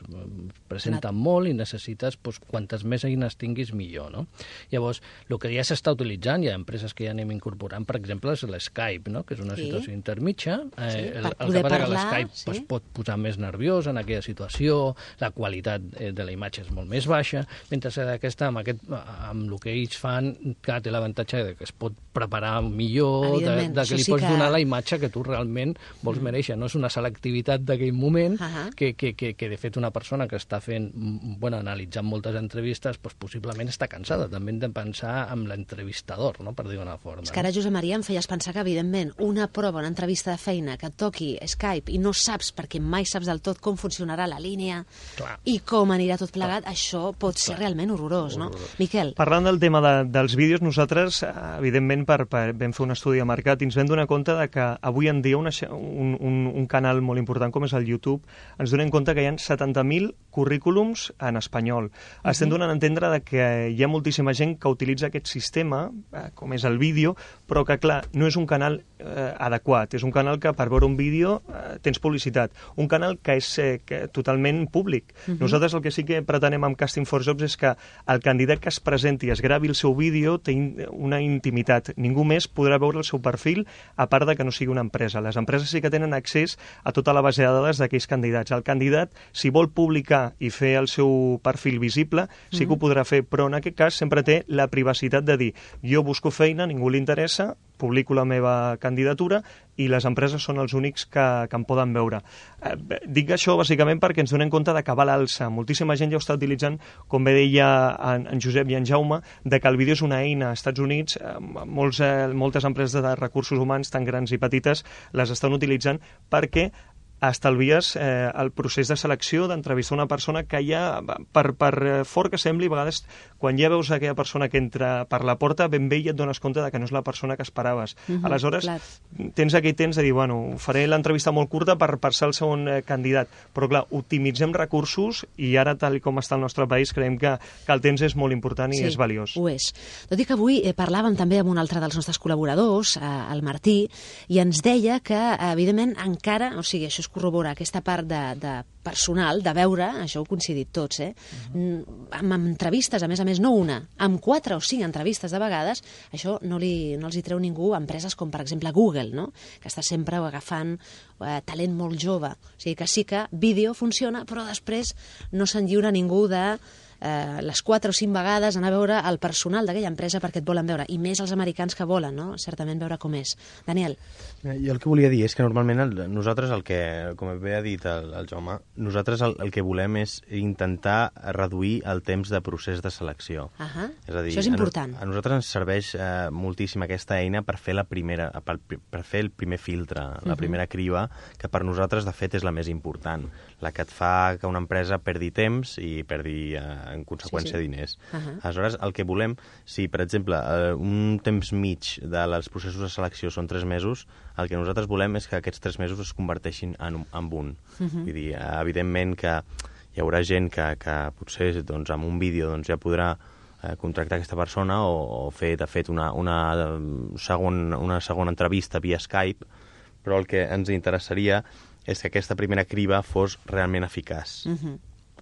presenta la... molt i necessites pues, quantes més eines tinguis millor, no? Llavors, el que ja s'està utilitzant, hi ha empreses que ja anem incorporant, per exemple, és l'Skype, no? Que és una sí. situació intermitja. Eh, sí, el, el que passa que l'Skype sí? pues, pot posar més nerviós en aquella situació, la qualitat eh, de la imatge és molt més baixa, mentre que aquesta, amb, aquest, amb el que ells fan, que té l'avantatge de que es pot preparar millor, de, de que li pots que... donar la imatge que tu realment vols mm. mereixer. No és una selectivitat de que l'últim moment, uh -huh. que, que, que, que de fet una persona que està fent, bueno, analitzant moltes entrevistes, doncs possiblement està cansada. També hem de pensar en l'entrevistador, no?, per dir una forma. És que ara, Josep Maria, em feies pensar que, evidentment, una prova, una entrevista de feina que et toqui Skype i no saps, perquè mai saps del tot com funcionarà la línia Clar. i com anirà tot plegat, Clar. Això pot ser Clar. realment horrorós, no? Horrorós. Miquel. Parlant del tema de, dels vídeos, nosaltres, evidentment, per, per, vam fer un estudi de mercat i ens vam donar compte de que avui en dia una, un, un, un canal molt important com és el YouTube, ens donem compte que hi ha setanta mil currículums en espanyol. Uh-huh. Estem donant a entendre de que hi ha moltíssima gent que utilitza aquest sistema, eh, com és el vídeo, però que, clar, no és un canal eh, adequat. És un canal que per veure un vídeo eh, tens publicitat. Un canal que és eh, que, totalment públic. Uh-huh. Nosaltres el que sí que pretenem amb Casting for Jobs és que el candidat que es presenti i es gravi el seu vídeo té in, una intimitat. Ningú més podrà veure el seu perfil, a part de que no sigui una empresa. Les empreses sí que tenen accés a tota la base de dades d'aquells candidats. El candidat, si vol publicar i fer el seu perfil visible, sí que ho podrà fer, però en aquest cas sempre té la privacitat de dir jo busco feina, ningú li interessa, publico la meva candidatura i les empreses són els únics que, que em poden veure. Eh, dic això bàsicament perquè ens donem compte de que va a l'alça. Moltíssima gent ja ho està utilitzant, com bé deia en, en Josep i en Jaume, de que el vídeo és una eina. Als Estats Units, eh, molts, eh, moltes empreses de recursos humans, tan grans i petites, les estan utilitzant perquè estalvies eh, el procés de selecció, d'entrevistar una persona que ja, per, per fort que sembli, a vegades, quan ja veus aquella persona que entra per la porta, ben bé i et dones compte de que no és la persona que esperaves. Uh-huh, Aleshores, clar. tens aquell temps de dir, bueno, faré l'entrevista molt curta per, per ser el segon eh, candidat, però clar, optimitzem recursos i ara, tal com està el nostre país, creiem que, que el temps és molt important i sí, és valiós. Ho és. Tot i que avui eh, parlàvem també amb un altre dels nostres col·laboradors, eh, el Martí, i ens deia que, evidentment, encara, o sigui, això és corroborar aquesta part de, de personal, de veure, això ho coincidit tots, eh? Uh-huh. Amb, amb entrevistes, a més a més, no una, amb quatre o cinc entrevistes de vegades, això no, li, no els hi treu ningú a empreses com, per exemple, Google, no?, que està sempre agafant eh, talent molt jove. O sigui que sí que vídeo funciona, però després no se'n lliura ningú de eh, les quatre o cinc vegades anar a veure el personal d'aquella empresa perquè et volen veure, i més els americans que volen, no?, certament veure com és. Daniel. Jo el que volia dir és que normalment el, nosaltres el que, com bé ha dit el, el Jaume, nosaltres el, el que volem és intentar reduir el temps de procés de selecció. Uh-huh. És a dir, això és important. A, a nosaltres ens serveix eh, moltíssim aquesta eina per fer la primera, per, per fer el primer filtre, la uh-huh. primera criba, que per nosaltres, de fet, és la més important, la que et fa que una empresa perdi temps i perdi, eh, en conseqüència, sí, sí. diners. Uh-huh. Aleshores, el que volem, si, per exemple, eh, un temps mig dels processos de selecció són tres mesos, el que nosaltres volem és que aquests tres mesos es converteixin en, en un. Uh-huh. Vull dir, evidentment que hi haurà gent que, que potser doncs, amb un vídeo doncs, ja podrà eh, contractar aquesta persona o, o fer, de fet, una, una, segon, una segona entrevista via Skype, però el que ens interessaria és que aquesta primera criba fos realment eficaç. Uh-huh.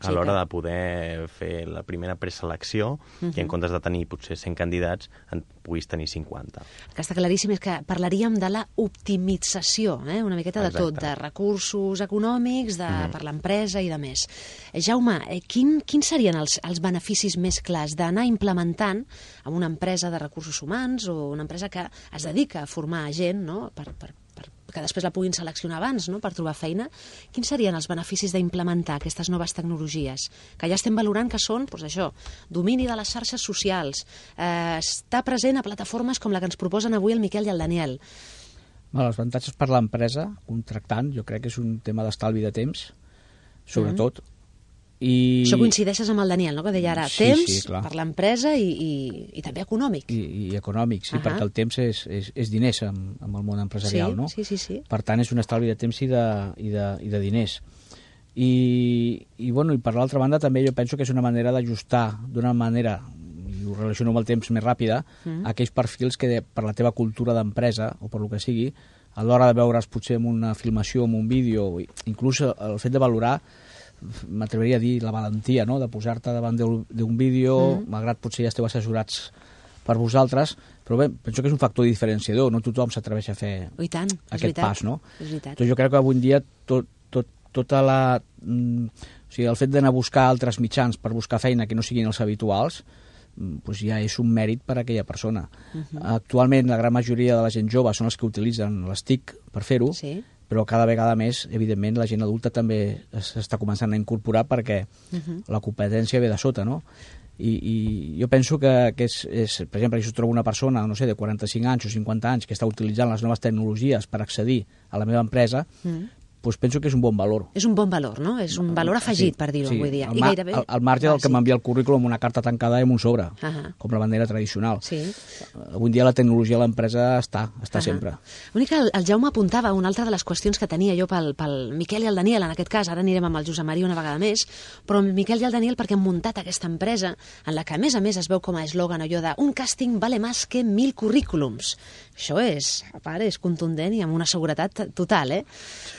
A l'hora de poder fer la primera preselecció uh-huh. i en comptes de tenir potser cent candidats en puguis tenir cinquanta. El que està claríssim és que parlaríem de la optimització, eh? una miqueta de Exacte. tot, de recursos econòmics, de, uh-huh. per l'empresa i de més. Eh, Jaume, eh, quin, quins serien els, els beneficis més clars d'anar implementant en una empresa de recursos humans o una empresa que es dedica a formar gent, no?, per, per que després la puguin seleccionar abans, no?, per trobar feina? Quins serien els beneficis d'implementar aquestes noves tecnologies? Que ja estem valorant que són, doncs això, domini de les xarxes socials, eh, estar present a plataformes com la que ens proposen avui el Miquel i el Daniel. Bueno, els avantatges per l'empresa, contractant, jo crec que és un tema d'estalvi de temps, sobretot. Mm. I... Això coincideixes amb el Daniel, no?, que deia ara, sí, temps sí, per l'empresa i, i, i també econòmic. I, i econòmic, sí, uh-huh. perquè el temps és, és, és diners amb, amb el món empresarial, sí, no? Sí, sí, sí. Per tant, és un estalvi de temps i de, i de, i de diners. I, i, bueno, i per l'altra banda també jo penso que és una manera d'ajustar d'una manera, i ho relaciono amb el temps més ràpida, uh-huh. aquells perfils que de, per la teva cultura d'empresa o per lo que sigui, a l'hora de veure's potser en una filmació, en un vídeo, inclús el fet de valorar, m'atreviria a dir la valentia, no?, de posar-te davant d'un vídeo, mm. malgrat potser ja esteu assessorats per vosaltres, però bé, penso que és un factor diferenciador, no tothom s'atreveix a fer oh, tant, aquest pas, no? És veritat. Doncs jo crec que avui en dia tot, tot, tota la... Mm, o sigui, el fet d'anar a buscar altres mitjans per buscar feina que no siguin els habituals, doncs ja és un mèrit per a aquella persona. Uh-huh. Actualment la gran majoria de la gent jove són els que utilitzen les T I C per fer-ho, sí. però cada vegada més, evidentment, la gent adulta també s'està començant a incorporar perquè uh-huh. la competència ve de sota, no? I, i jo penso que, que és, és, per exemple, si jo trobo una persona, no sé, de quaranta-cinc anys o cinquanta anys que està utilitzant les noves tecnologies per accedir a la meva empresa, mm. doncs penso que és un bon valor. És un bon valor, no? És un valor afegit, sí, per dir-ho sí. avui dia. Al, mar, gairebé... al, al marge del ah, que sí. m'envia el currículum, una carta tancada i amb un sobre, uh -huh. com la bandera tradicional. Sí. Avui en dia la tecnologia a l'empresa està, està uh -huh. sempre. L'únic que el, el Jaume apuntava una altra de les qüestions que tenia jo pel, pel Miquel i el Daniel, en aquest cas, ara anirem amb el Josep Maria una vegada més, però el Miquel i el Daniel perquè han muntat aquesta empresa en la que, a més a més, es veu com a eslògan allò de un càsting vale más que mil currículums. Això és, a part, és contundent i amb una seguretat total, eh?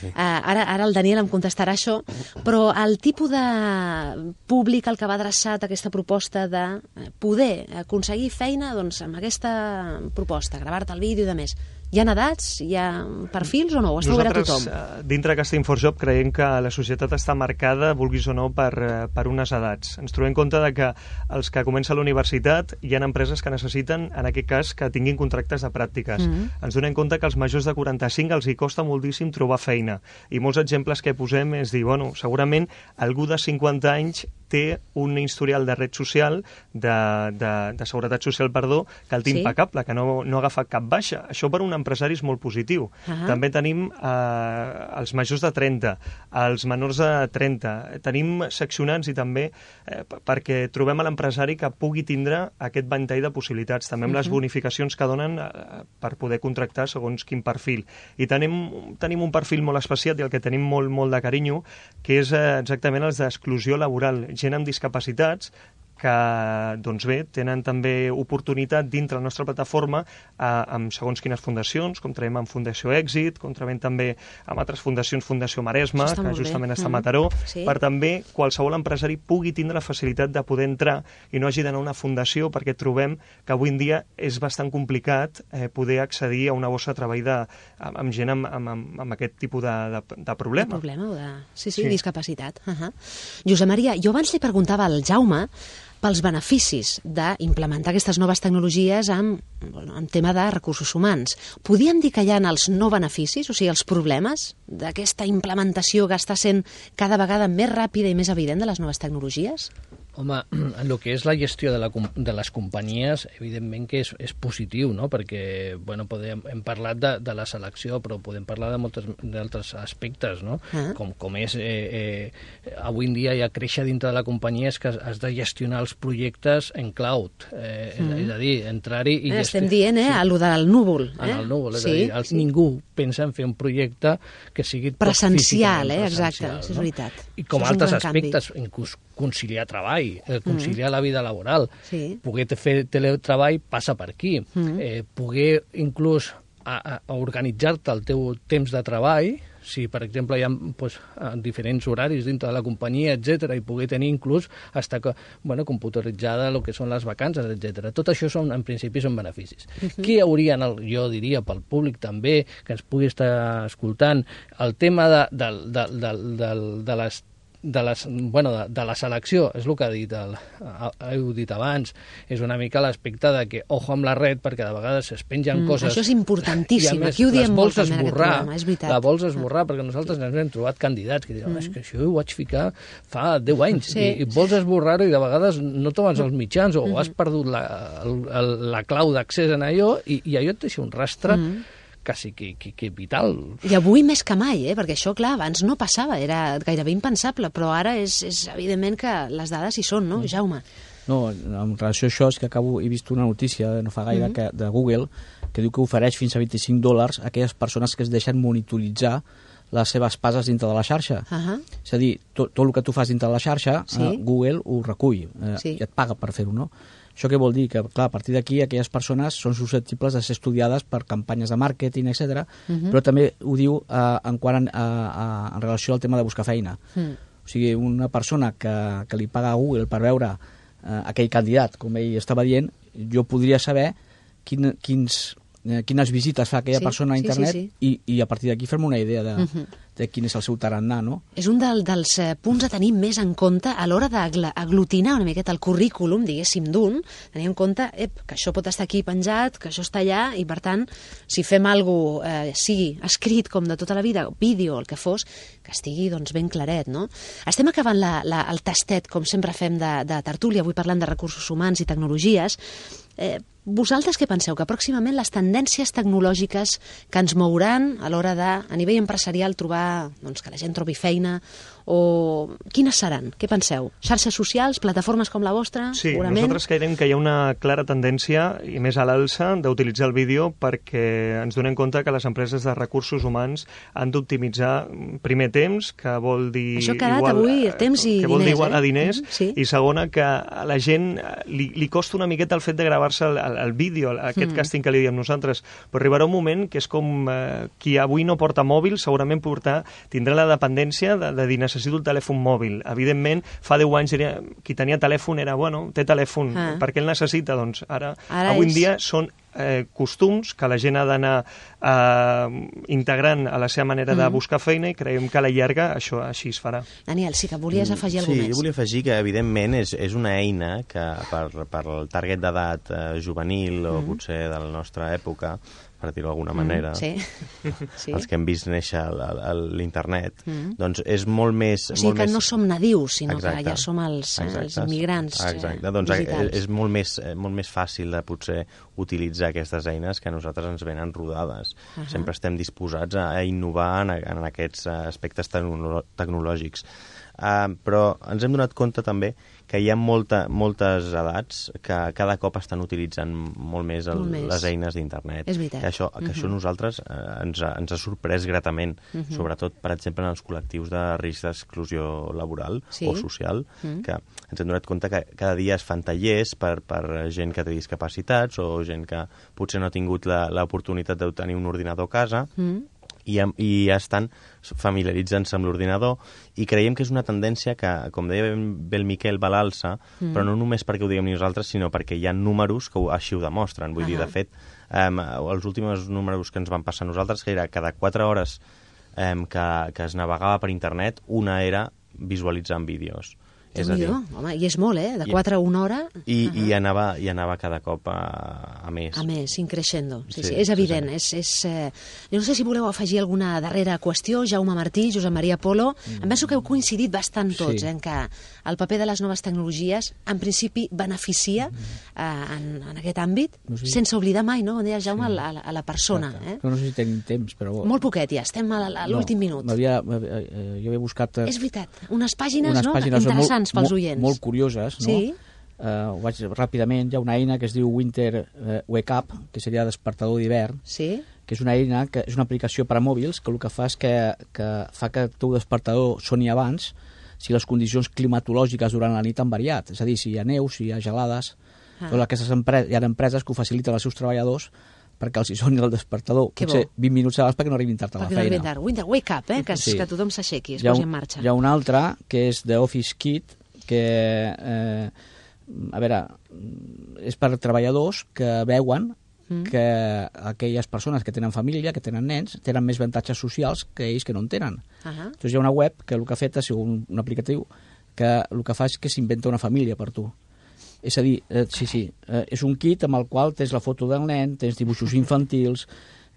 Sí. Uh, ara, ara el Daniel em contestarà això, però el tipus de públic al que va adreçat aquesta proposta de poder aconseguir feina doncs, amb aquesta proposta, gravar-te el vídeo i de més, hi ha edats, hi ha perfils o no? Ho està obert a tothom? Nosaltres, dintre Casting for Job, creiem que la societat està marcada, vulguis o no, per, per unes edats. Ens trobem en compte de que els que comencen la universitat hi ha empreses que necessiten, en aquest cas, que tinguin contractes de pràctiques. Mm-hmm. Ens donem compte que als majors de quaranta-cinc els hi costa moltíssim trobar feina. I molts exemples que posem és dir, bueno, segurament algú de cinquanta anys té un historial de red social, de, de, de seguretat social, perdó, que el té sí? impecable, que no, no ha agafat cap baixa. Això per un empresari és molt positiu. Uh-huh. També tenim eh, els majors de trenta, els menors de trenta. Tenim seccionants i també eh, perquè trobem a l'empresari que pugui tindre aquest ventall de possibilitats. També amb uh-huh. les bonificacions que donen eh, per poder contractar segons quin perfil. I tenim, tenim un perfil molt especial i el que tenim molt, molt de carinyo, que és eh, exactament els d'exclusió laboral. Gent amb discapacitats que, doncs bé, tenen també oportunitat dintre la nostra plataforma eh, amb segons quines fundacions, com traiem amb Fundació Èxit, com traiem també amb altres fundacions, Fundació Maresme, que justament bé. està a Mataró, mm. sí. per també qualsevol empresari pugui tindre la facilitat de poder entrar i no hagi d'anar a una fundació, perquè trobem que avui en dia és bastant complicat eh, poder accedir a una bossa de treball de, amb, amb gent amb, amb, amb aquest tipus de, de, de problema. De problema o de... Sí, sí, sí. discapacitat. Uh -huh. Josep Maria, jo abans li preguntava al Jaume pels beneficis d'implementar aquestes noves tecnologies en, bueno, en tema de recursos humans. Podríem dir que hi ha els no beneficis, o sigui, els problemes d'aquesta implementació que està sent cada vegada més ràpida i més evident de les noves tecnologies? Home, en el que és la gestió de, la, de les companyies, evidentment que és, és positiu, no? Perquè bueno, podem, hem parlat de, de la selecció, però podem parlar de moltes d'altres aspectes, no? Ah. Com, com és, eh, eh, avui en dia ja créixer dintre de la companyia és que has de gestionar els projectes en cloud, eh, mm. és a dir, entrar-hi i... Eh, estem dient, eh, sí. a lo del núvol. Eh? En el núvol, és sí, a dir, els, sí. ningú pensa en fer un projecte que sigui presencial, eh, presencial, exacte, no? És veritat. I com altres aspectes, canvi. inclús conciliar treball, eh, conciliar mm. la vida laboral, sí. poder fer teletreball passa per aquí, mm. eh, poder inclús a, a organitzar-te el teu temps de treball, si per exemple hi ha pues, diferents horaris dintre de la companyia, etcètera, i poder tenir inclús hasta que, bueno, computeritzada el que són les vacances, etcètera. Tot això són, en principi són beneficis. Uh-huh. Què haurien, el, jo diria, pel públic també, que ens pugui estar escoltant, el tema de, de, de, de, de, de les de, les, bueno, de, de la selecció, és el que ha dit el, heu dit abans, és una mica l'aspecte de que ojo amb la red, perquè de vegades es pengen mm, coses... Això és importantíssim, més, aquí ho diem molt també en aquest programa, és veritat. La vols esborrar, ah. perquè nosaltres ens hem trobat candidats que diuen, mm. és que això ho vaig ficar fa deu anys, sí. i, i vols esborrar-ho i de vegades no trobes els mitjans o mm. has perdut la, la, la clau d'accés en allò i, i allò et deixa un rastre mm. quasi que, que, que vital. I avui més que mai, eh? Perquè això, clar, abans no passava, era gairebé impensable, però ara és, és evident que les dades hi són, no, mm. Jaume? No, en relació a això és que acabo, he vist una notícia no fa gaire mm-hmm. que, de Google que diu que ofereix fins a vint-i-cinc dòlars a aquelles persones que es deixen monitoritzar les seves passes dintre de la xarxa. Uh-huh. És a dir, tot, tot el que tu fas dintre de la xarxa, sí? eh, Google ho recull eh, sí. i et paga per fer-ho, no? Això què vol dir? Que, clar, a partir d'aquí aquelles persones són susceptibles de ser estudiades per campanyes de màrqueting, etcètera. Uh-huh. Però també ho diu eh, en, quant a, a, en relació al tema de buscar feina. Uh-huh. O sigui, una persona que, que li paga a Google per veure eh, aquell candidat, com ell estava dient, jo podria saber quin, quins, eh, quines visites fa aquella sí, persona a internet sí, sí, sí. I, i a partir d'aquí fer-me una idea de, uh-huh. de quin és el seu tarannà, no? És un del, dels eh, punts a tenir més en compte a l'hora d'aglutinar una miqueta el currículum, diguéssim, d'un, tenir en compte ep, que això pot estar aquí penjat, que això està allà, i per tant, si fem alguna cosa, eh, sigui escrit com de tota la vida, vídeo, el que fos, que estigui doncs, ben claret, no? Estem acabant la, la, el tastet, com sempre fem, de, de tertúlia, avui parlant de recursos humans i tecnologies. Eh, vosaltres què penseu? Que pròximament les tendències tecnològiques que ens mouran a l'hora de, a nivell empresarial, trobar doncs, que la gent trobi feina, o quines seran? Què penseu? Xarxes socials, plataformes com la vostra? Sí, segurament? Nosaltres creiem que hi ha una clara tendència, i més a l'alça, d'utilitzar el vídeo perquè ens donem compte que les empreses de recursos humans han d'optimitzar primer temps, que vol dir... Això ha quedat igual, avui temps i que vol diners, dir igual eh? a diners, Mm, sí. i segona, que a la gent li, li costa una miqueta el fet de gravar-se el, el, el vídeo, aquest mm. càsting que li diem nosaltres, però arribarà un moment que és com eh, qui avui no porta mòbil, segurament portar, tindrà la dependència de, de dir necessito el telèfon mòbil. Evidentment, fa deu anys era, qui tenia telèfon era, bueno, té telèfon, ah. per què el necessita? Doncs ara, ara avui és... en dia són eh, costums que la gent ha d'anar eh, integrant a la seva manera mm. de buscar feina, i creiem que a la llarga això així es farà. Daniel, sí que volies afegir alguna sí, més. Sí, jo volia afegir que, evidentment, és, és una eina que per, per el target d'edat eh, juvenil o Mm. potser de la nostra època, per dir-ho d'alguna manera, mm, sí. sí. els que hem vist néixer l'internet, mm. doncs és molt més... O sigui molt que més... no som nadius, sinó Exacte. que ja som els, eh, els immigrants Exacte. eh, doncs digitals. és molt més, molt més fàcil de potser utilitzar aquestes eines que a nosaltres ens venen rodades. Uh -huh. Sempre estem disposats a, a innovar en, en aquests aspectes tecnolo tecnològics. Uh, però ens hem donat compte també que hi ha molta, moltes edats que cada cop estan utilitzant molt més, el, molt més. les eines d'internet. És veritat. Que això, que uh -huh. això nosaltres eh, ens, ha, ens ha sorprès gratament, uh -huh. sobretot, per exemple, en els col·lectius de risc d'exclusió laboral sí. o social, uh -huh. que ens hem donat compte que cada dia es fan tallers per, per gent que té discapacitats o gent que potser no ha tingut l'oportunitat de tenir un ordinador a casa, uh -huh. I, i ja estan familiaritzant-se amb l'ordinador, i creiem que és una tendència que, com deia bé el Miquel, va a l'alça, mm. però no només perquè ho diguem nosaltres, sinó perquè hi ha números que ho, així ho demostren. Vull uh -huh. dir, de fet, um, els últims números que ens van passar a nosaltres, que era cada quatre hores um, que, que es navegava per internet, una era visualitzant vídeos. És a dir, home, i és molt, eh? De quatre a una hora... I, uh -huh. i, anava, i anava cada cop a, a més. A més, increixendo. Sí, sí, sí, és evident. sí, És, sí. és, eh... Jo no sé si voleu afegir alguna darrera qüestió. Jaume Martí, Josep Maria Polo. Mm. Em penso que heu coincidit bastant tots, sí. eh, en que el paper de les noves tecnologies, en principi, beneficia mm. eh, en, en aquest àmbit, no sé. Sense oblidar mai, no? On deia Jaume, sí. a, la, a la persona. Eh? No, no sé si tenim temps, però... Molt poquet, ja. Estem a, a l'últim no, minut. Havia, eh, jo he buscat... Eh, és veritat. Unes pàgines, unes no? pàgines interessants molt, pels oients. Molt curioses, no? Sí. Uh, ho vaig ràpidament. Hi ha una eina que es diu Winter uh, Wake Up, que seria despertador d'hivern, sí. que és una eina, que és una aplicació per a mòbils, que el que fa és que, que fa que el teu despertador soni abans si les condicions climatològiques durant la nit han variat. És a dir, si hi ha neu, si hi ha gelades... Ah. Doncs aquestes empreses, hi ha empreses que ho faciliten als seus treballadors perquè els hi soni el despertador, que potser bo. vint minuts abans perquè no arribin tard a la perquè feina. No tard. Winter, wake up, eh? que, sí. que tothom s'aixequi, es hi ha, posi en marxa. Hi ha un altre, que és The Office Kit, que... Eh, a veure, és per treballadors que veuen mm. que aquelles persones que tenen família, que tenen nens, tenen més avantatges socials que ells que no en tenen. Uh -huh. Doncs hi ha una web que el que ha fet és un, un aplicatiu que el que fa és que s'inventa una família per tu. És a dir, eh, sí, sí, eh, és un kit amb el qual tens la foto del nen, tens dibuixos infantils,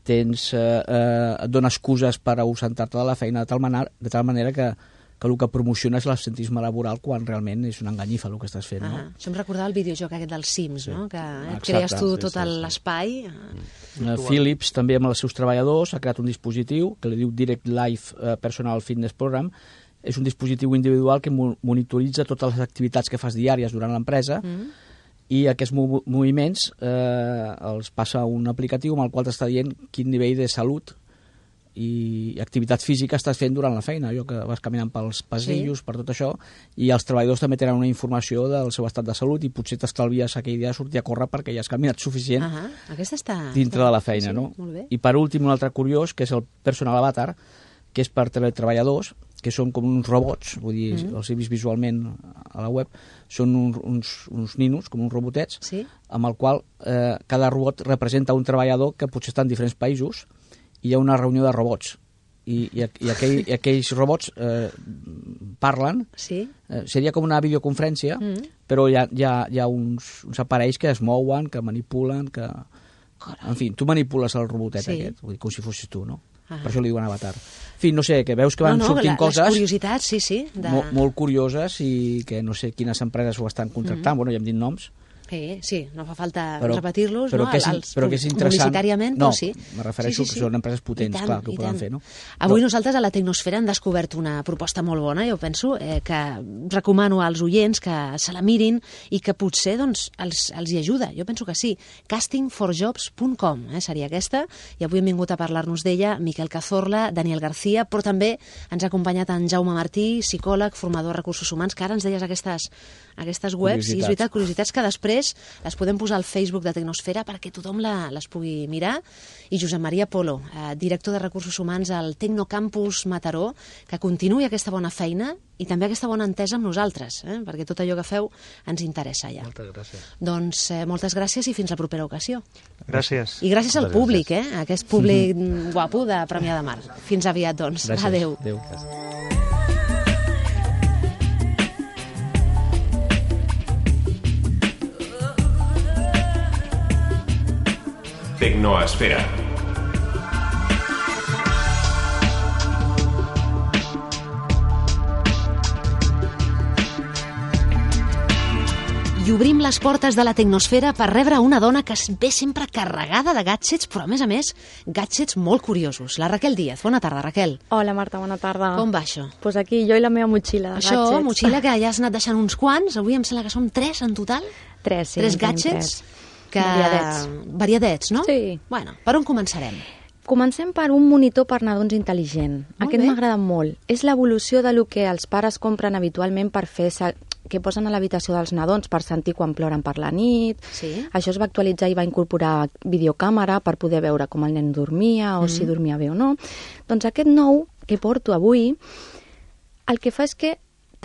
tens, eh, eh, et dona excuses per ausentar-te de la feina de tal manera, de tal manera que que el que promociona és l'absentisme laboral quan realment és una enganyifa el que estàs fent. No? Ah, això em recordava el videojoc aquest dels Sims, sí. no? que eh, et Exacte, crees tu sí, tot sí, sí. l'espai. Uh, Philips també amb els seus treballadors ha creat un dispositiu que li diu Direct Life uh, Personal Fitness Program. És un dispositiu individual que mo monitoritza totes les activitats que fas diàries durant l'empresa mm. i aquests mo moviments eh, els passa a un aplicatiu amb el qual t'està dient quin nivell de salut i activitat física estàs fent durant la feina, allò que vas caminant pels passillos, sí. per tot això, i els treballadors també tenen una informació del seu estat de salut i potser t'estalvies aquell dia de sortir a córrer perquè ja has caminat suficient uh -huh. Aquesta està, dintre està... de la feina. Sí, no? molt bé. I per últim un altre curiós, que és el Personal Avatar, que és per teletreballadors, que són com uns robots, vull dir, mm -hmm. els he vist visualment a la web, són un, uns, uns ninos, com uns robotets, sí. amb el qual eh, cada robot representa un treballador que potser està en diferents països, i hi ha una reunió de robots i, i, i, aquell, i aquells robots eh, parlen. Sí. Eh, seria com una videoconferència, mm. però hi ha, hi ha, hi ha uns, uns aparells que es mouen, que manipulen, que... Carai. En fi, tu manipules el robotet sí. aquest, vull dir, com si fossis tu, no? Ah. Per això li diuen avatar. En fi, no sé, que veus que van no, no, sortint la, coses... Les curiositats, sí, sí. De... Molt, molt curioses i que no sé quines empreses ho estan contractant, mm-hmm. bueno, ja hem dit noms. Sí, sí, no fa falta però, repetir-los, però no? Que és, Els, però que és interessant. Publicitàriament, no, però sí. me refereixo sí, sí, sí. que són empreses potents, tant, clar, que ho poden fer, no? Avui però... nosaltres a la Tecnosfera hem descobert una proposta molt bona, jo penso, eh, que recomano als oients que se la mirin i que potser doncs, els, els hi ajuda. Jo penso que sí. casting for jobs punt com eh, seria aquesta, i avui hem vingut a parlar-nos d'ella Miquel Cazorla, Daniel García, però també ens ha acompanyat en Jaume Martí, psicòleg, formador de recursos humans, que ara ens deies aquestes, aquestes webs, i és veritat, curiositats que després les podem posar al Facebook de Tecnosfera perquè tothom la, les pugui mirar. I Josep Maria Polo, eh, director de Recursos Humans al Tecnocampus Mataró, que continuï aquesta bona feina i també aquesta bona entesa amb nosaltres, eh, perquè tot allò que feu ens interessa ja. Moltes gràcies. Doncs eh, moltes gràcies i fins la propera ocasió. Gràcies. I gràcies al públic, eh, aquest públic mm-hmm. guapo de Premià de Mar. Fins aviat, doncs. Gràcies. Adéu. Adéu. Tecnoesfera. I obrim les portes de la Tecnosfera per rebre una dona que es ve sempre carregada de gadgets, però a més a més, gadgets molt curiosos. La Raquel Díaz. Bona tarda, Raquel. Hola, Marta, bona tarda. Com va això? Doncs pues aquí jo i la meva motxilla de això, gadgets. Això, motxilla que ja has anat deixant uns quants. Avui em sembla que són tres en total. Tres, sí. Tres gadgets. Tres. Que... Variadets. Variadets, no? Sí. Bueno, per on començarem? Comencem per un monitor per nadons intel·ligent. Molt Aquest bé. m'agrada molt. És l'evolució de lo que els pares compren habitualment per fer que posen a l'habitació dels nadons per sentir quan ploren per la nit. Sí. Això es va actualitzar i va incorporar videocàmera per poder veure com el nen dormia o mm. si dormia bé o no. Doncs aquest nou que porto avui el que fa és que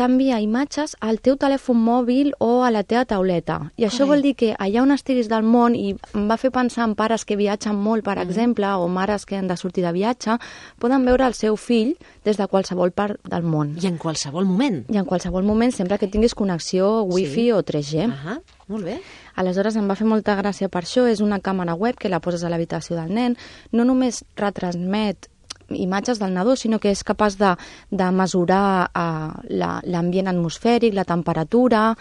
t'envia imatges al teu telèfon mòbil o a la teva tauleta. I això Carai. vol dir que allà on estiguis del món, i em va fer pensar en pares que viatgen molt, per mm. exemple, o mares que han de sortir de viatge, poden veure el seu fill des de qualsevol part del món. I en qualsevol moment. I en qualsevol moment, sempre que tinguis connexió wifi sí. o tres G. Ahà, molt bé. Aleshores em va fer molta gràcia per això. És una càmera web que la poses a l'habitació del nen. No només retransmet imatges del nadó, sinó que és capaç de, de mesurar uh, l'ambient atmosfèric, la temperatura,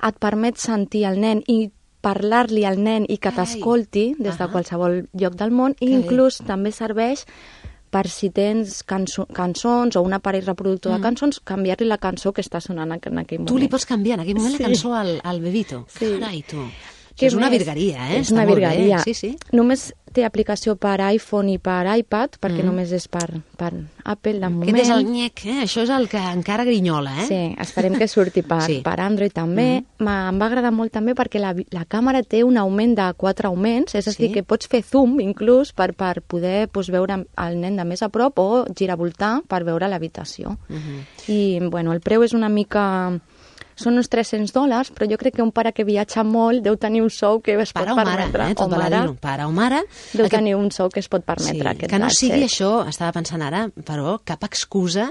et permet sentir el nen i parlar-li al nen i que t'escolti des de qualsevol lloc del món, i inclús també serveix per si tens canso cançons o un aparell reproductor mm. de cançons, canviar-li la cançó que està sonant en aquell moment. Tu li pots canviar en aquell moment sí. la cançó al, al bebito. Sí. Carai, tu. Que és una virgueria, eh? És una virgueria. Sí, sí. Només té aplicació per iPhone i per iPad, perquè mm. només és per, per Apple de moment. Aquest és el nyec, eh? Això és el que encara grinyola, eh? Sí, esperem que surti per, sí. per Android també. Mm. Em va agradar molt també perquè la, la càmera té un augment de quatre augments, és a dir, sí. que pots fer zoom inclús per, per poder pues, veure el nen de més a prop o giravoltar per veure l'habitació. Mm -hmm. I, bueno, el preu és una mica... Són uns tres-cents dòlars, però jo crec que un pare que viatja molt deu tenir un sou que es pot pare permetre. Mare, eh? Tot o mare, pare o mare. Deu aquest... tenir un sou que es pot permetre. Sí, aquest que no gadget. sigui això, estava pensant ara, però cap excusa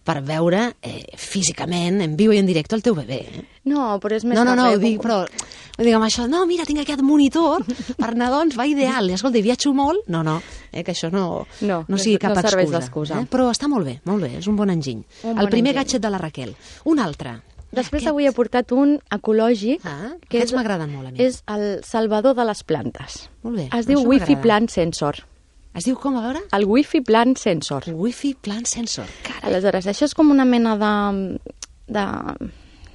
per veure eh, físicament, en viu i en directe, el teu bebè. Eh? No, però és més No, no, no, que ho dic, però... Diguem això, no, mira, tinc aquest monitor, per nadons va ideal. I escolta, viatjo molt. No, no, eh, que això no, no, no sigui cap no serveix excusa. d'excusa. Eh? Però està molt bé, molt bé, és un bon enginy. Un el bon primer enginy. gadget de la Raquel. Un altre. Després Aquest... avui he portat un ecològic, ah, que aquests m'agraden molt a mi. És el salvador de les plantes. Molt bé. Es diu Wi-Fi Plant Sensor. Es diu com, a veure? El Wi-Fi Plant Sensor. Wi-Fi Plant Sensor. Carai. Aleshores, això és com una mena de... de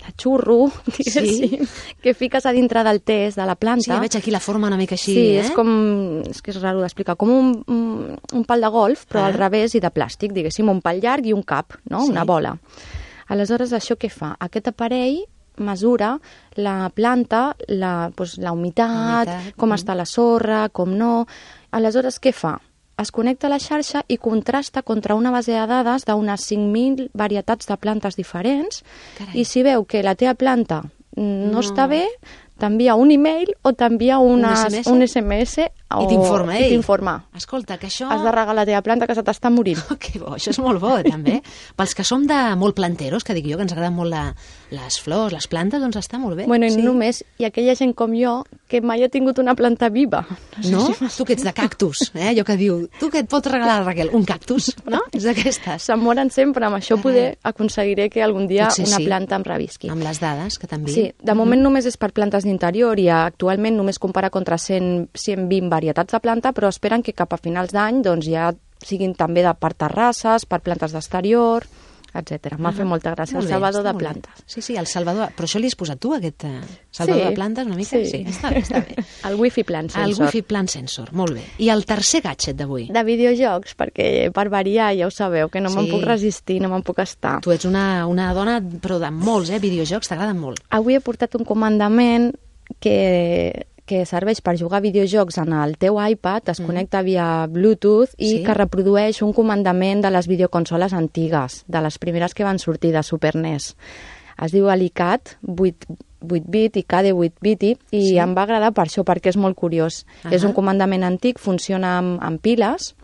de xurro, sí. que fiques a dintre del test de la planta. Sí, veig aquí la forma una mica així, sí, eh? és com... és que és raro d'explicar, com un, un, un pal de golf, però ah. al revés i de plàstic, diguéssim, un pal llarg i un cap, no? Sí. Una bola. Aleshores, això què fa? Aquest aparell mesura la planta, la, doncs, la humitat, humitat, com mm. està la sorra, com no... Aleshores, què fa? Es connecta a la xarxa i contrasta contra una base de dades d'unes cinc mil varietats de plantes diferents. Carai. I si veu que la teva planta no, no. està bé, t'envia un e-mail o t'envia un S M S O... I t'informa, I ei. t'informa. Escolta, que això... Has de regar la teva planta que se t'està morint. Oh, que bo, això és molt bo, també. Pels que som de molt planteros, que dic jo, que ens agraden molt la, les flors, les plantes, doncs està molt bé. Bueno, i sí. no només, hi ha aquella gent com jo que mai ha tingut una planta viva. No? no? Tu que ets de cactus, eh? Allò que diu, tu que et pots regalar, Raquel, un cactus, no? És d'aquestes. Se'n moren sempre, amb això poder aconseguiré que algun dia Potser una sí. planta em revisqui. Amb les dades que t'envien. Sí, de moment mm. només és per plantes d'interior i actualment només compara contra cent, cent vint varietats de planta, però esperen que cap a finals d'any doncs, ja siguin també de per terrasses, per plantes d'exterior, etcètera. M'ha Ah, fet molta gràcia, molt el bé, salvador està de molt bé. plantes. Sí, sí, el salvador... Però això li has posat tu, aquest eh, salvador Sí, de plantes, una mica? sí. Sí, està bé, està bé. El Wi-Fi Plan Sensor. El Wi-Fi Plan Sensor, molt bé. I el tercer gadget d'avui? De videojocs, perquè per variar ja ho sabeu, que no Sí. me'n puc resistir, no me'n puc estar. Tu ets una, una dona, però de molts, eh? Videojocs t'agraden molt. Avui he portat un comandament que, que serveix per jugar a videojocs en el teu iPad, es mm. connecta via Bluetooth i Sí. que reprodueix un comandament de les videoconsoles antigues, de les primeres que van sortir de Super N E S. Es diu Alicat vuit bit i K D vuit bit i Sí. em va agradar per això, perquè és molt curiós. Ahà. És un comandament antic, funciona amb, amb piles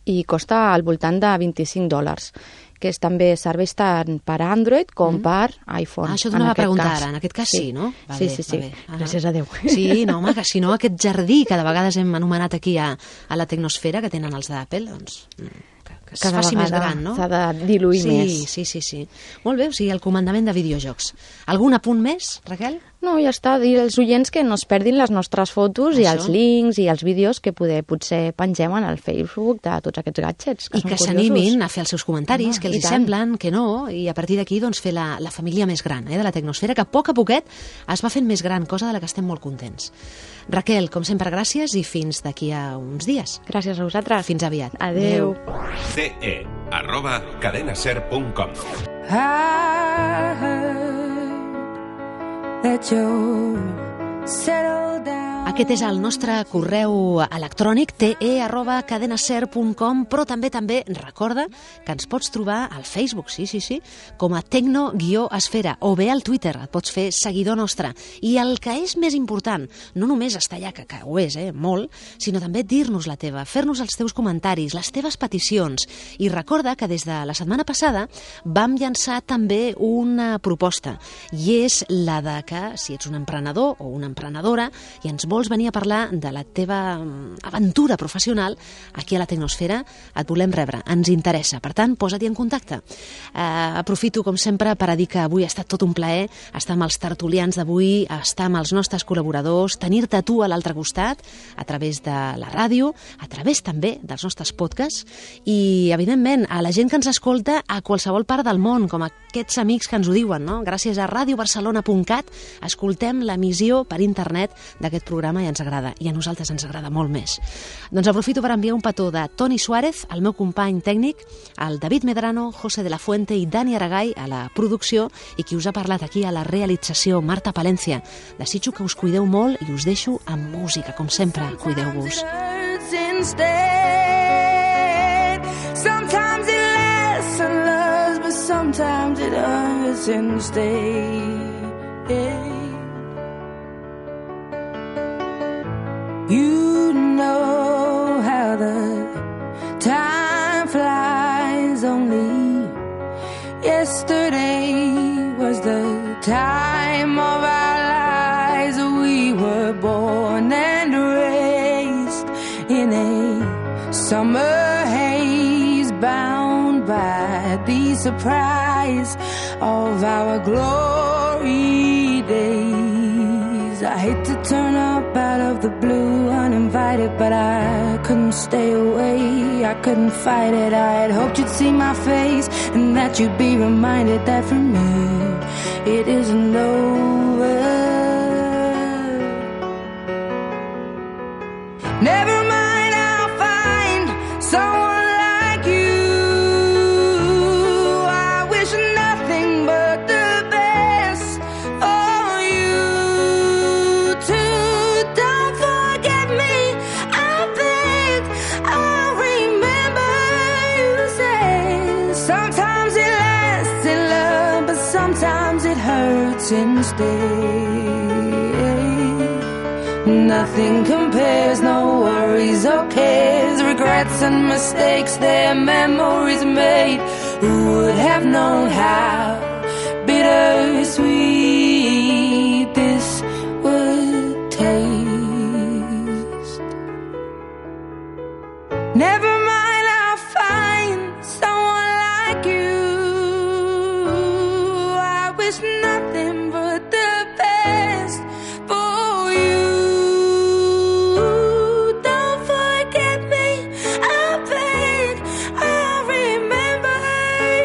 i costa al voltant de vint-i-cinc dòlars, que és, també serveix tant per Android com mm. per iPhone. Ah, això en t'anava a aquest preguntar cas. ara. En aquest cas sí, no? Va sí, bé, sí, va sí. bé. Ah. Gràcies a Déu. Sí, no, home, que si no aquest jardí que de vegades hem anomenat aquí a, a la tecnosfera, que tenen els d'Apple, doncs... Que, que es Cada faci més vegada gran, no? s'ha de diluir sí, més. Sí, sí, sí. Molt bé, o sigui, el comandament de videojocs. Algun apunt més, Raquel? No, ja està. Dir als oients que no es perdin les nostres fotos Això. i els links i els vídeos que poder, potser pengem en el Facebook de tots aquests gadgets, que I són que curiosos. s'animin a fer els seus comentaris, Home, que els i hi tant. semblen, que no, i a partir d'aquí doncs, fer la, la família més gran eh, de la tecnosfera, que a poc a poquet es va fent més gran, cosa de la que estem molt contents. Raquel, com sempre, gràcies i fins d'aquí a uns dies. Gràcies a vosaltres. Fins aviat. Adeu. ce e arroba cadenaser punt com. I heard that you settled down. Aquest és el nostre correu electrònic te arroba cadenaser punt com, però també també recorda que ens pots trobar al Facebook, sí, sí, sí, com a tecno-esfera, o bé al Twitter, et pots fer seguidor nostre. I el que és més important, no només estar allà, que, que ho és, eh, molt, sinó també dir-nos la teva, fer-nos els teus comentaris, les teves peticions. I recorda que des de la setmana passada vam llançar també una proposta, i és la de que, si ets un emprenedor o una emprenedora i ens vols venir a parlar de la teva aventura professional aquí a la Tecnosfera, et volem rebre, ens interessa. Per tant, posa't en contacte. Uh, aprofito, com sempre, per a dir que avui ha estat tot un plaer estar amb els tertulians d'avui, estar amb els nostres col·laboradors, tenir-te tu a l'altre costat, a través de la ràdio, a través també dels nostres podcasts, i, evidentment, a la gent que ens escolta a qualsevol part del món, com aquests amics que ens ho diuen, no? Gràcies a radio barcelona punt cat escoltem l'emissió per internet d'aquest programa i ens agrada, i a nosaltres ens agrada molt més. Doncs aprofito per enviar un petó de Toni Suárez, el meu company tècnic, el David Medrano, José de la Fuente i Dani Aragay a la producció, i qui us ha parlat aquí a la realització, Marta Palencia. Desitjo que us cuideu molt i us deixo amb música, com sempre. Cuideu-vos. Sometimes it lasts and loves, but sometimes it hurts instead. You know how the time flies. Only yesterday was the time of our lives. We were born and raised in a summer haze, bound by the surprise of our glory days. I hate to turn up out of the blue uninvited, but I couldn't stay away, I couldn't fight it. I had hoped you'd see my face and that you'd be reminded that for me it isn't over. Never mind, I'll find someone like you. I wish nothing but the best for you too. Don't forget me, I beg. I'll remember you said sometimes it lasts in love, but sometimes it hurts instead. nothing compares, no worries or cares, regrets and mistakes, their memories made. Who would have known how bittersweet this would taste? Never mind, I'll find someone like you. I wish nothing but the best for you. Don't forget me, I beg. I remember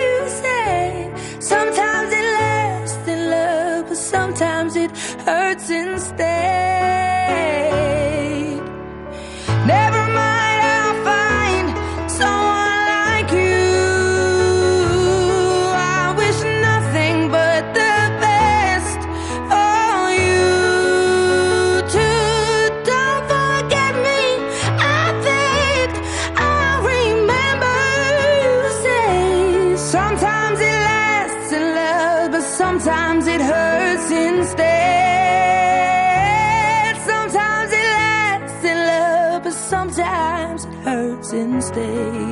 you said sometimes it lasts in love, but sometimes it hurts instead. Never mind, I'll find someone like you. I wish nothing but the best for you too. Don't forget me, I beg. I remember you say sometimes it lasts in love, but sometimes it hurts instead. Sometimes it lasts in love, but sometimes it hurts instead.